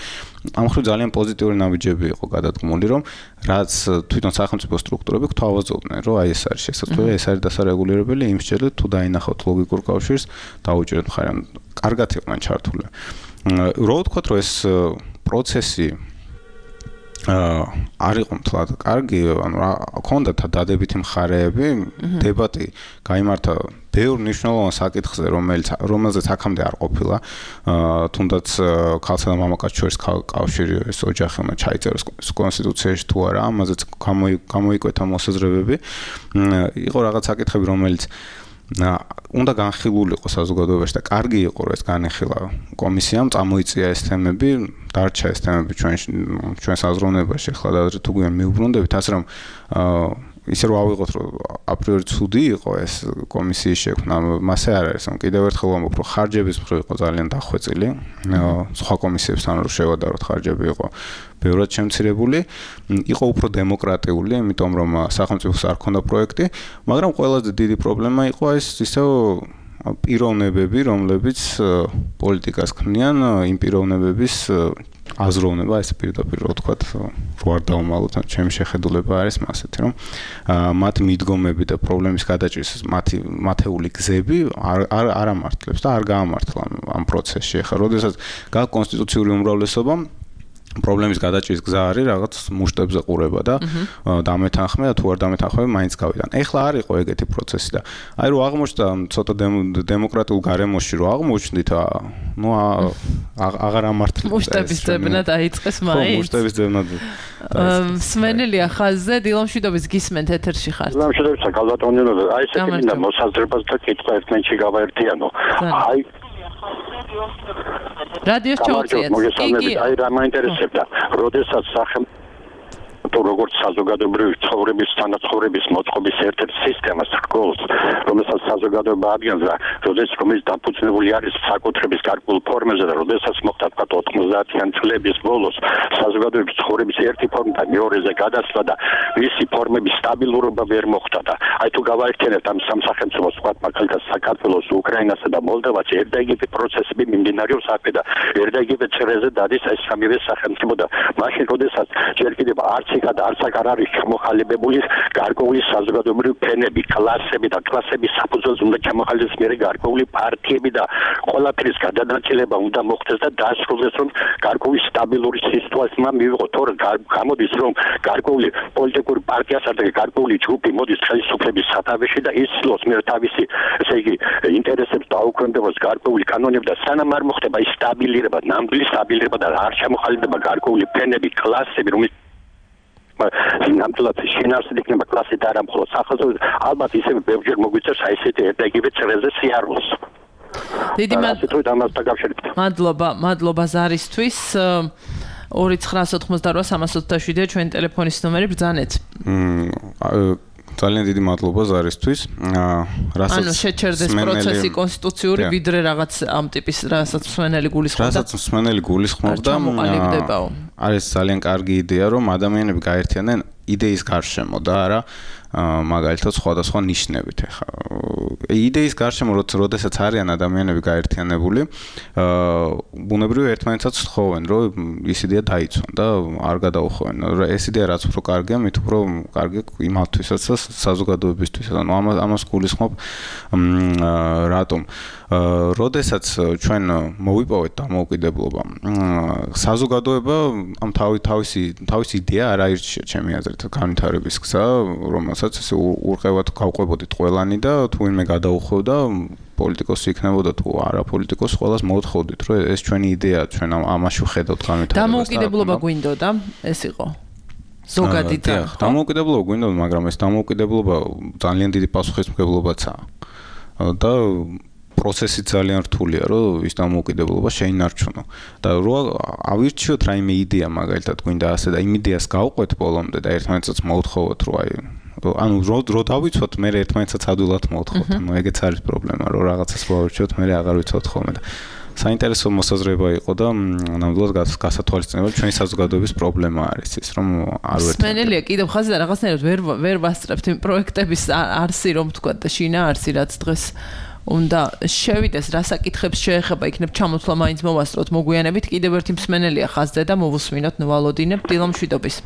Speaker 4: ამ მხრივ ძალიან პოზიტიური ნაბიჯები იყო გადადგმული, რომ რაც თვითონ სახელმწიფო სტრუქტურები გვთავაზობდნენ, რომ აი ეს არის შესაძლებელი, ეს არის დასარეგულირებელი, იმ შეჯერით თუ დაინახავთ ლოგიკურ კავშირს, დაუჭირეთ მხარი. კარგად იყვნენ ჩართული. რო ვთქვათ, რომ ეს პროცესი არ იყო მთლად კარგი, ანუ ჰქონდათ დადებითი მხარეები, დებატი გაიმართა ბევრ მნიშვნელოვან საკითხზე, რომელიც რომელზეც აქამდე არ ყოფილა, თუნდაც ქალსა და მამაკაცის შორის კავშირი ეს ოჯახი უნდა ჩაიწეროს კონსტიტუციაში თუ არა, ამაზეც გამოიკვეთა მოსაზრებები. იყო რაღაც საკითხები, რომელიც უნდა განხილულიყო საზოგადოებაში და კარგი იყო, რომ ეს განეხილა კომისიამ, წამოიწია ეს თემები, დარჩა ეს თემები ჩვენ ჩვენს აზროვნებაში, ახლა და თუ გვიან მიუბრუნდებით, ასე რომ ისე რომ ავიღოთ, რომ აპრიორი ცუდი იყო ეს კომისიის შექმნა, მასე არ არის, რომ კიდევ ერთხელ ვამბობ, რომ ხარჯების მხრივ იყო ძალიან დახვეწილი, სხვა კომისიებთან რო შევადაროთ, ხარჯები იყო ბევრად შემცირებული, იყო უფრო დემოკრატიული, იმიტომ რომ სახელმწიფოს არ ქონდა პროექტი, მაგრამ ყველაზე დიდი პრობლემა იყო ეს ისევ პიროვნებები, რომლებიც პოლიტიკას ქმნიან, იმ პიროვნებების აზროვნება, ესე პირდაპირ რო ვთქვათ, რო არ დავუმალოთ, ჩემი შეხედულება არის მასეთი, რომ მათ მიდგომები და პრობლემის გადაჭრის მათი მათეული გზები არ არ არ ამართლებს და არ გაამართლა ამ პროცესში. ახლა, როდესაც გაქვს კონსტიტუციური უმრავლესობა, პრობლემის გადაჭრის გზა არის რაღაც მუშტებზე ყურება და დამეთანხმება, თუ არ დამეთანხმება, მაინც გავიდან. ეხლა არ იყო ეგეთი პროცესი და აი რო აღმოჩნდა ცოტა დემოკრატიულ გარემოში რო აღმოჩნდით, ნუ აღარ ამართლებს.
Speaker 3: მუშტების ძებნა დაიწყეს მაინც.
Speaker 4: ხო, მუშტების ძებნა.
Speaker 3: სმენელია ხაზზე, დილომშვიდობის გისმენთ ეთერში ხართ.
Speaker 8: დილომშვიდობის გალბატონინო, აი ესე მინდა მოსაზრებას და კითხვა ერთმანეთში გავაერთიანო. აი
Speaker 3: რადიოს ჩაუწიეთ.
Speaker 8: კი, აი რა მაინტერესებდა, როდესაც სახელმწიფო როგორც საზოგადოებრივი ცხოვრების თანაცხოვრების მოწყობის ერთ-ერთ სისტემას ჰგოლს, რომელსაც საზოგადოება ადგენს და როდესაც რომელიც დაფუძნებული არის საკუთრების გარკვეულ ფორმებზე და როდესაც მოხდა თქვა ოცდაათიანი წლების ბოლოს საზოგადოების ცხოვრების ერთი ფორმიდან მეორეზე გადასვლა და მისი ფორმების სტაბილურობა ვერ მოხდა და აი თუ გავაერთიანებთ ამ სამ სახელმწიფოს თქვა მაგალითად საქართველოს, უკრაინასა და მოლდოვას ერთდაიგივე პროცესები მიმდინარეობს აქ და ერთდაიგივე წრეზე დადის ეს სამივე სახელმწიფო და მაშინ როდესაც ჯერ კიდევ არც და არც არ არის ჩამოყალიბებული გარკვეული საზოგადოებრივი ფენები, კლასები და კლასების საფუძველზე უნდა ჩამოყალიბდეს მერე გარკვეული პარტიები და ყველაფრის გადანაწილება უნდა მოხდეს და დაასრულოს რომ გარკვეული სტაბილური სიტუაცია მივიღოთ. თორე გამოდის რომ გარკვეული პოლიტიკური პარტიასა და გარკვეული ჯგუფი მოდის ხელისუფლების სათავეში და ისლოს მერე თავისი ესე იგი ინტერესებს დაუქვემდებოს გარკვეული კანონები და სანამ არ მოხდება ის სტაბილირება, ნამდვილი სტაბილირება და არ ჩამოყალიბდება გარკვეული ფენები, კლასები, რომელიც ნამდვილად შინაარსით იქნება კლასით არა მხოლოდ სახელმწიფო, ალბათ ისევ ბევრჯერ მოგვიწევს აი ესეთი ერთდაიგივე წრეზე სიარულს.
Speaker 3: დიდი მადლობა, მადლობა ზარისთვის. ორი ცხრა ოთხმოცდაოთხ სამას ოცდაშვიდი ჩვენი ტელეფონის ნომერი ბრძანეთ.
Speaker 4: ძალიან დიდი მადლობა ზარისთვის. რასაც
Speaker 3: ანუ შეჩერდეს პროცესი კონსტიტუციური ვიდრე რაღაც ამ ტიპის რასაც მსმენელი გულისხმობდა.
Speaker 4: რასაც მსმენელი გულისხმობდა. არის ძალიან კარგი იდეა რომ ადამიანები გაერთიანდნენ იდეის გარშემო და არა მაგალითად სხვადასხვა ნიშნებით. ეხლა იდეის გარშემო როდესაც არიან ადამიანები გაერთიანებული, ბუნებრივია ერთმანეთსაც თხოვენ, რომ ის იდეა დაიცვან და არ გადაუხვენ. ეს იდეა რაც უფრო კარგია, მით უფრო კარგი იმათვისაც და საზოგადოებისთვის. ანუ ამას ამას გულისხმობ რატომ? როდესაც ჩვენ მოვიპოვეთ დამოუკიდებლობა, საზოგადოება ამ თავი თავისი თავისი იდეა არ აირჩია ჩემი აზრით განვითარების გზა, რომელსაც ესე ურყევად გავყვებოდით ყველანი და თუ ვინმე გადაუხვევდა პოლიტიკოსი იქნებოდა თუ არა პოლიტიკოსი, ყველას მოთხოვდით, რომ ეს ჩვენი იდეაა, ჩვენ ამაში ვხედავთ განვითარებას.
Speaker 3: დამოუკიდებლობა გვინდოდა, ეს იყო ზოგადი და
Speaker 4: დამოუკიდებლობა გვინდოდა, მაგრამ ეს დამოუკიდებლობა ძალიან დიდი პასუხისმგებლობაცაა. და პროცესი ძალიან რთულია, რომ ის დამოუკიდებლობა შეინარჩუნო. და რო ავირჩიოთ რაიმე იდეა მაგალითად გვინდა ასე და იმ იდეას გავყვეთ ბოლომდე და ერთმანეთსაც მოუთხოვოთ, რომ აი ანუ რო რო დავიცვათ, მე ერთმანეთსაც ადვილად მოუთხოვთ. ანუ ეგეც არის პრობლემა, რომ რაღაცას გავირჩიოთ, მე აღარ ვიცავთ ხოლმე და საინტერესო მოსაზრება იყო და ნამდვილად გასათვალისწინებელი ჩვენი საზოგადოების პრობლემა არის ის, რომ არ ვერთმობთ.
Speaker 3: სმენელია კიდევ ხაზი და რაღაცნაირად ვერ ვერ ვასწრებთ იმ პროექტების არსი რომ თქვა და შინაარსი რაც დღეს უნდა შევიდეს, რა საკითხებს შეეხება იქნებ ჩამოთვლა მაინც მოვასწროთ მოგვიანებით. კიდევ ერთი მსმენელია ხაზზე და მოვუსმინოთ ნვალოდინებ დილომშვიდობის.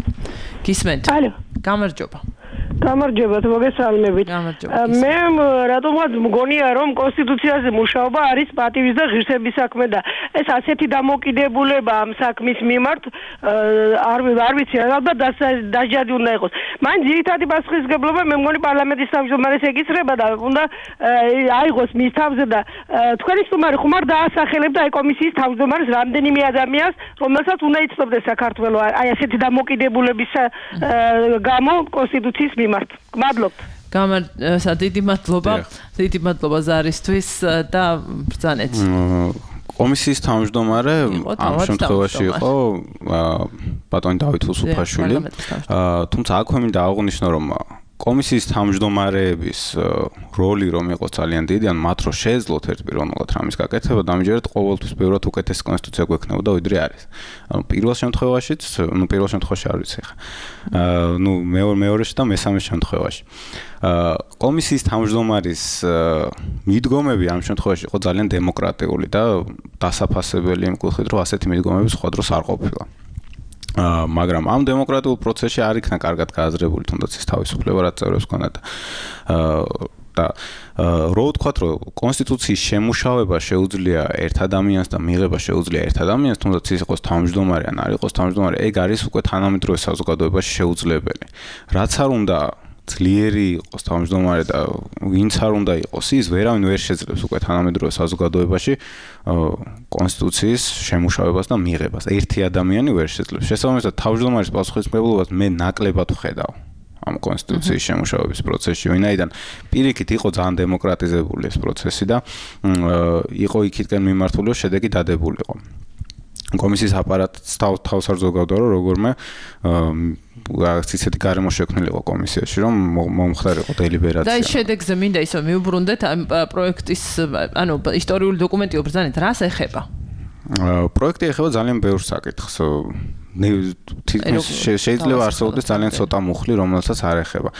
Speaker 3: გისმენთ?
Speaker 9: ალო.
Speaker 3: გამარჯობა.
Speaker 9: გამარჯობათ, მოგესალმებით. მე რატომღაც მგონია, რომ კონსტიტუციაზე მუშაობა არის პატივის და ღირსების საქმე და ეს ასეთი დამოკიდებულება ამ საქმის მიმართ არ არ ვიცი, ალბათ დასჯადი უნდა იყოს. მან ძირითადი პასუხისმგებლობა მე მგონი პარლამენტის თავმჯდომარეს ეკისრება და უნდა აიღოს მის თავზე და თქვენი სტუმარი ხომ არ დაასახელებდა აი კომისიის თავმჯდომარეს რამდენიმე ადამიანს, რომელსაც უნდა იცნობდეს საქართველო აი ასეთი დამოკიდებულების გამო კონსტიტუციის მიმართ. გმადლობთ.
Speaker 3: გამარჯობა, დიდი მადლობა. დიდი მადლობა ზარისთვის და ბრძანეთ.
Speaker 4: კომისიის თავმჯდომარე ამ შემთხვევაში იყო ბატონი დავით უსუფაშვილი. თუმცა აქვე მინდა აღვნიშნო, რომ კომისიის თავმჯდომარეების როლი რომ იყოს ძალიან დიდი, ან მათ რო შეეძლოთ ერთპიროვნულად რამის გაკეთება, დამიჯერეთ ყოველთვის ბევრად უკეთესი კონსტიტუცია გვექნებოდა ვიდრე არის. ანუ პირველ შემთხვევაშიც, ну პირველ შემთხვევაში არ ვიცი ხა. აა ну მეორე მეორეში და მესამე შემთხვევაში. აა კომისიის თავმჯდომარის მიდგომები ამ შემთხვევაში იყო ძალიან დემოკრატიული და დასაფასებელი იმ კუთხით, რომ ასეთი მიდგომები სხვა დროს არ ყოფილა. აა მაგრამ ამ დემოკრატიულ პროცესში არ იქნა კარგად გააზრებული თუნდაც ის თავისუფლება რაც წევრებს ჰქონდათ. აა და რო ვთქვათ, რომ კონსტიტუციის შემუშავება შეუძლია ერთ ადამიანს და მიღება შეუძლია ერთ ადამიანს, თუნდაც ის იყოს თავმჯდომარე ან არ იყოს თავმჯდომარე, ეგ არის უკვე თანამედროვე საზოგადოებაში შეუძლებელი. რაც არ უნდა ძლიერი იყოს თავმჯდომარე და ვინც არ უნდა იყოს ის, ვერავინ ვერ შეძლებს უკვე თანამედროვე საზოგადოებაში კონსტიტუციის შემუშავებას და მიღებას. ერთი ადამიანი ვერ შეძლებს. შესაბამისად, თავმჯდომარის პასუხისმგებლობას მე ნაკლებად ვხედავ ამ კონსტიტუციის შემუშავების პროცესში, ვინაიდან პირიქით იყო ძალიან დემოკრატიზებული ეს პროცესი და იყო იქითკენ მიმართული, რომ შედეგი დადებულიყო. კომისიის აპარატს თავს არ ზოგავდა, რომ როგორმე რაღაც ისეთი გარემო შექმნილიყო კომისიაში, რომ მომხდარიყო დელიბერაცია.
Speaker 3: და ის შედეგზე მინდა ისო მიუბრუნდეთ ამ პროექტის, ანუ ისტორიული დოკუმენტი უბრძანეთ, რას ეხება?
Speaker 4: პროექტი ეხება ძალიან ბევრ საკითხს. შეიძლება არსებობდეს ძალიან ცოტა მუხლი, რომელსაც არ ეხება.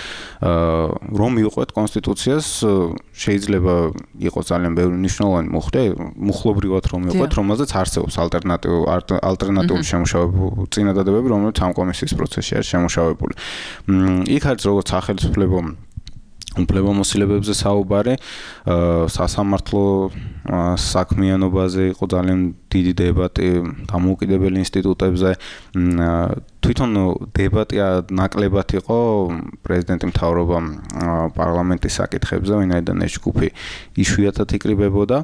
Speaker 4: რომ მივყვეთ კონსტიტუციას, შეიძლება იყოს ძალიან ბევრი მნიშვნელოვანი მუხლი, მუხლობრივად რომ მივყვეთ, რომელზეც არსებობს ალტერნატიული ალტერნატიული შემუშავებები, წინადადებები, რომელიც ამ კომისიის პროცესში არის შემუშავებული. იქ არის როგორც სახელმწიფო უფლებამოსილებებზე საუბარი, სასამართლო საქმიანობაზე იყო ძალიან დიდი დებატი, დამოუკიდებელი ინსტიტუტებზე. თვითონ დებატი ნაკლებად იყო პრეზიდენტი მთავრობა პარლამენტის საკითხებზე, ვინაიდან ეს ჯგუფი იშვიათად იკრიბებოდა.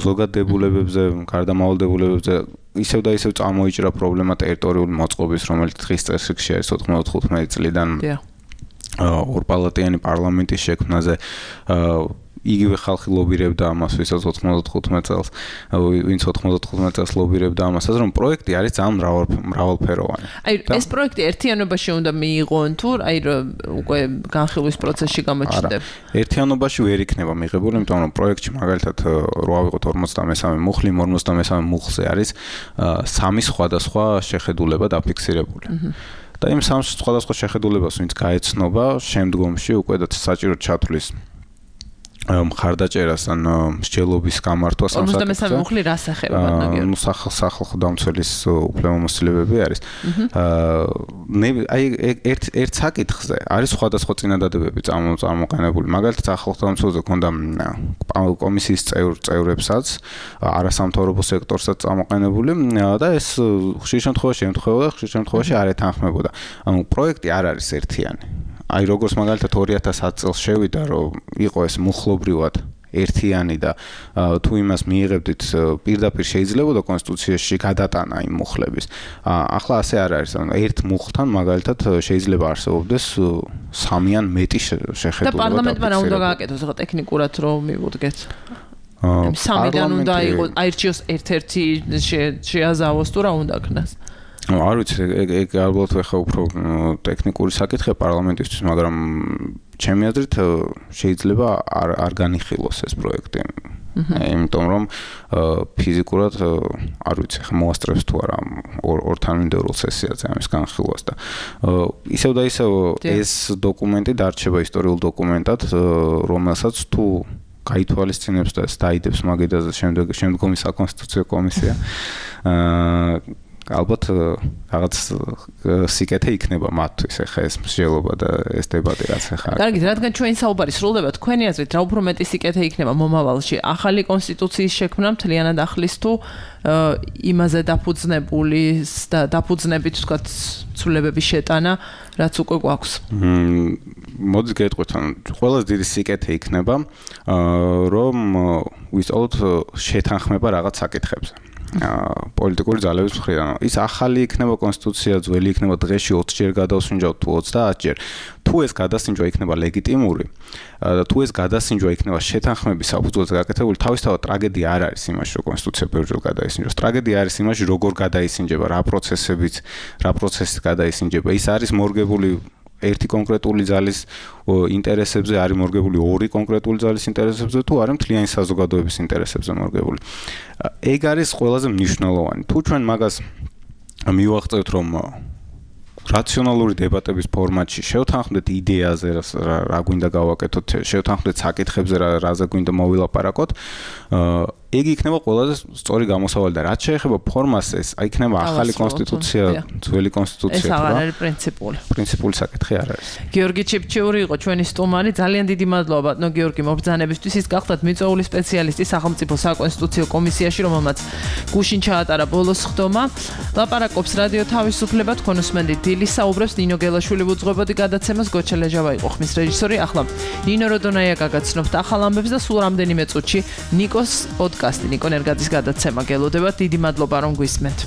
Speaker 4: ზოგად დებულებებზე, გარდამავალ დებულებებზე ისევ და ისევ წამოიჭრა პრობლემა ტერიტორიული მოწყობის, რომელიც დღის წესრიგში არის ოთხმოცდათხუთმეტი წლიდან ორპალატიანი პარლამენტის შექმნაზე. იგივე ხალხი ლობირებდა ამას, ვისაც ოთხმოცდათხუთმეტ წელს, ვინც ოთხმოცდათხუთმეტ წელს ლობირებდა ამასაც, რომ პროექტი არის ძალიან მრავალფეროვანი.
Speaker 3: აი, ეს პროექტი ერთიანობაში უნდა მიიღონ თუ აი უკვე განხილვის პროცესში გამოჩნდება?
Speaker 4: ერთიანობაში ვერ იქნება მიღებული, იმიტომ რომ პროექტში მაგალითად რო ავიღოთ ორმოცდამესამე მუხლი, ორმოცდამესამე მუხლზე არის სამი სხვადასხვა შეხედულება დაფიქსირებული. და იმ სამ სხვადასხვა შეხედულებას ვინც გაეცნობა, შემდგომში უკვე და საჭირო ჩათვლის მხარდაჭერას ან მსჯელობის გამართვას ამ
Speaker 3: საკითხზე. ორმოცდამესამე მუხლი რას ეხება ბატონო?
Speaker 4: ნუ სახალხო დამცველის უფლებამოსილებები არის. აი ერთ ერთ საკითხზე არის სხვადასხვა წინადადებები წარმოყენებული. მაგალითად სახალხო დამცველზე ქონდა კომისიის წევრებსაც, არასამთავრობო სექტორსაც წარმოყენებული და ეს ხშირ შემთხვევაში ემთხვეოდა, ხშირ შემთხვევაში არ ეთანხმებოდა. ანუ პროექტი არ არის ერთიანი. აი როგორც მაგალითად ორი ათას ათი წელს შევიდა, რომ იყო ეს მუხლობრივად ერთიანი და თუ იმას მიიღებდით პირდაპირ შეიძლებოდა კონსტიტუციაში გადატანა იმ მუხლების. ახლა ასე არ არის. ანუ ერთ მუხლთან მაგალითად შეიძლება არსებობდეს სამი ან მეტი შეხედულება.
Speaker 3: და პარლამენტმა რა უნდა გააკეთოს ახლა ტექნიკურად რომ მივუდგეთ? სამიდან უნდა იყოს აირჩიოს ერთ-ერთი შეაზავოს თუ რა უნდა ქნას?
Speaker 4: ну არ ვიცი ეგ ალბათ ხა უფრო ტექნიკური საკითხია პარლამენტისთვის, მაგრამ ჩემი აზრით შეიძლება არ არ განიხილოს ეს პროექტი. იმიტომ რომ ფიზიკურად არ ვიცი ხა მოასწრებს თუ არა ორ თანმიმდევრულ სესიაზე ამის განხილვას და ისევ და ისევ ეს დოკუმენტი დარჩება ისტორიულ დოკუმენტად, რომელსაც თუ გაითვალისწინებს და დაიდებს მაგიდაზე შემდგომი საკონსტიტუციო კომისია ალბათ რაღაც სიკეთე იქნება მათთვის ახლა ეს მსჯელობა და ეს დებატი რაც ახლა.
Speaker 3: კარგით, რადგან ჩვენი საუბარი სრულდება, თქვენი აზრით რა უფრო მეტი სიკეთე იქნება მომავალში? ახალი კონსტიტუციის შექმნა მთლიანად ახლის თუ იმაზე დაფუძნებული და დაფუძნებით ვთქვათ ცვლილებების შეტანა, რაც უკვე გვაქვს?
Speaker 4: მოდით გეტყვით, ანუ ყველაზე დიდი სიკეთე იქნება რომ ვისწავლოთ შეთანხმება რაღაც საკითხებზე. პოლიტიკური ძალების მხრიდან. ის ახალი იქნება კონსტიტუცია, ძველი იქნება დღეში ოცი ჯერ გადავსინჯავთ თუ ოცდაათი ჯერ. თუ ეს გადასინჯვა იქნება ლეგიტიმური და თუ ეს გადასინჯვა იქნება შეთანხმების საფუძველზე გაკეთებული, თავისთავად ტრაგედია არ არის იმაში, რომ კონსტიტუცია ბევრჯერ გადაისინჯოს. ტრაგედია არის იმაში, როგორ გადაისინჯება, რა პროცესებით, რა პროცესით გადაისინჯება. ის არის მორგებული ერთი კონკრეტული ძალის ინტერესებზე არის მორგებული ორი კონკრეტული ძალის ინტერესებზე თუ არა მთლიანი საზოგადოების ინტერესებზე მორგებული. ეგ არის ყველაზე მნიშვნელოვანი. თუ ჩვენ მაგას მივაღწევთ რომ რაციონალური დებატების ფორმატში შევთანხმდეთ იდეაზე რა გვინდა გავაკეთოთ, შევთანხმდეთ საკითხებზე რაზე გვინდა მოვილაპარაკოთ, ეგ იქნება ყველაზე სწორი გამოსავალი და რაც შეეხება ფორმას ეს აი იქნება ახალი კონსტიტუცია, ძველი კონსტიტუცია.
Speaker 3: ეს აღარ არის პრინციპული.
Speaker 4: პრინციპული საკითხი არ არის.
Speaker 3: გიორგი ჩიფჩიური იყო ჩვენი სტუმარი. ძალიან დიდი მადლობა ბატონო გიორგი მობრძანებისთვის. ის გახლავთ მიწვეული სპეციალისტი სახელმწიფო საკონსტიტუციო კომისიაში, რომელმაც გუშინ ჩაატარა ბოლოს ხდომა. ლაპარაკობს რადიო თავისუფლება, თქვენ უსმენთ დილის საუბრებს. ნინო გელაშვილი უძღვებოდი გადაცემას, გოჩა ლეჟავა იყო ხმის რეჟისორი. ახლა ნინო როდონაია გაგაცნობთ ახალ ამბებს და სულ რამდენიმე წუთში ნიკოს პოდკასტი ნიკო ნერგაძის გადაცემა გელოდებათ. დიდი მადლობა რომ გვისმენთ.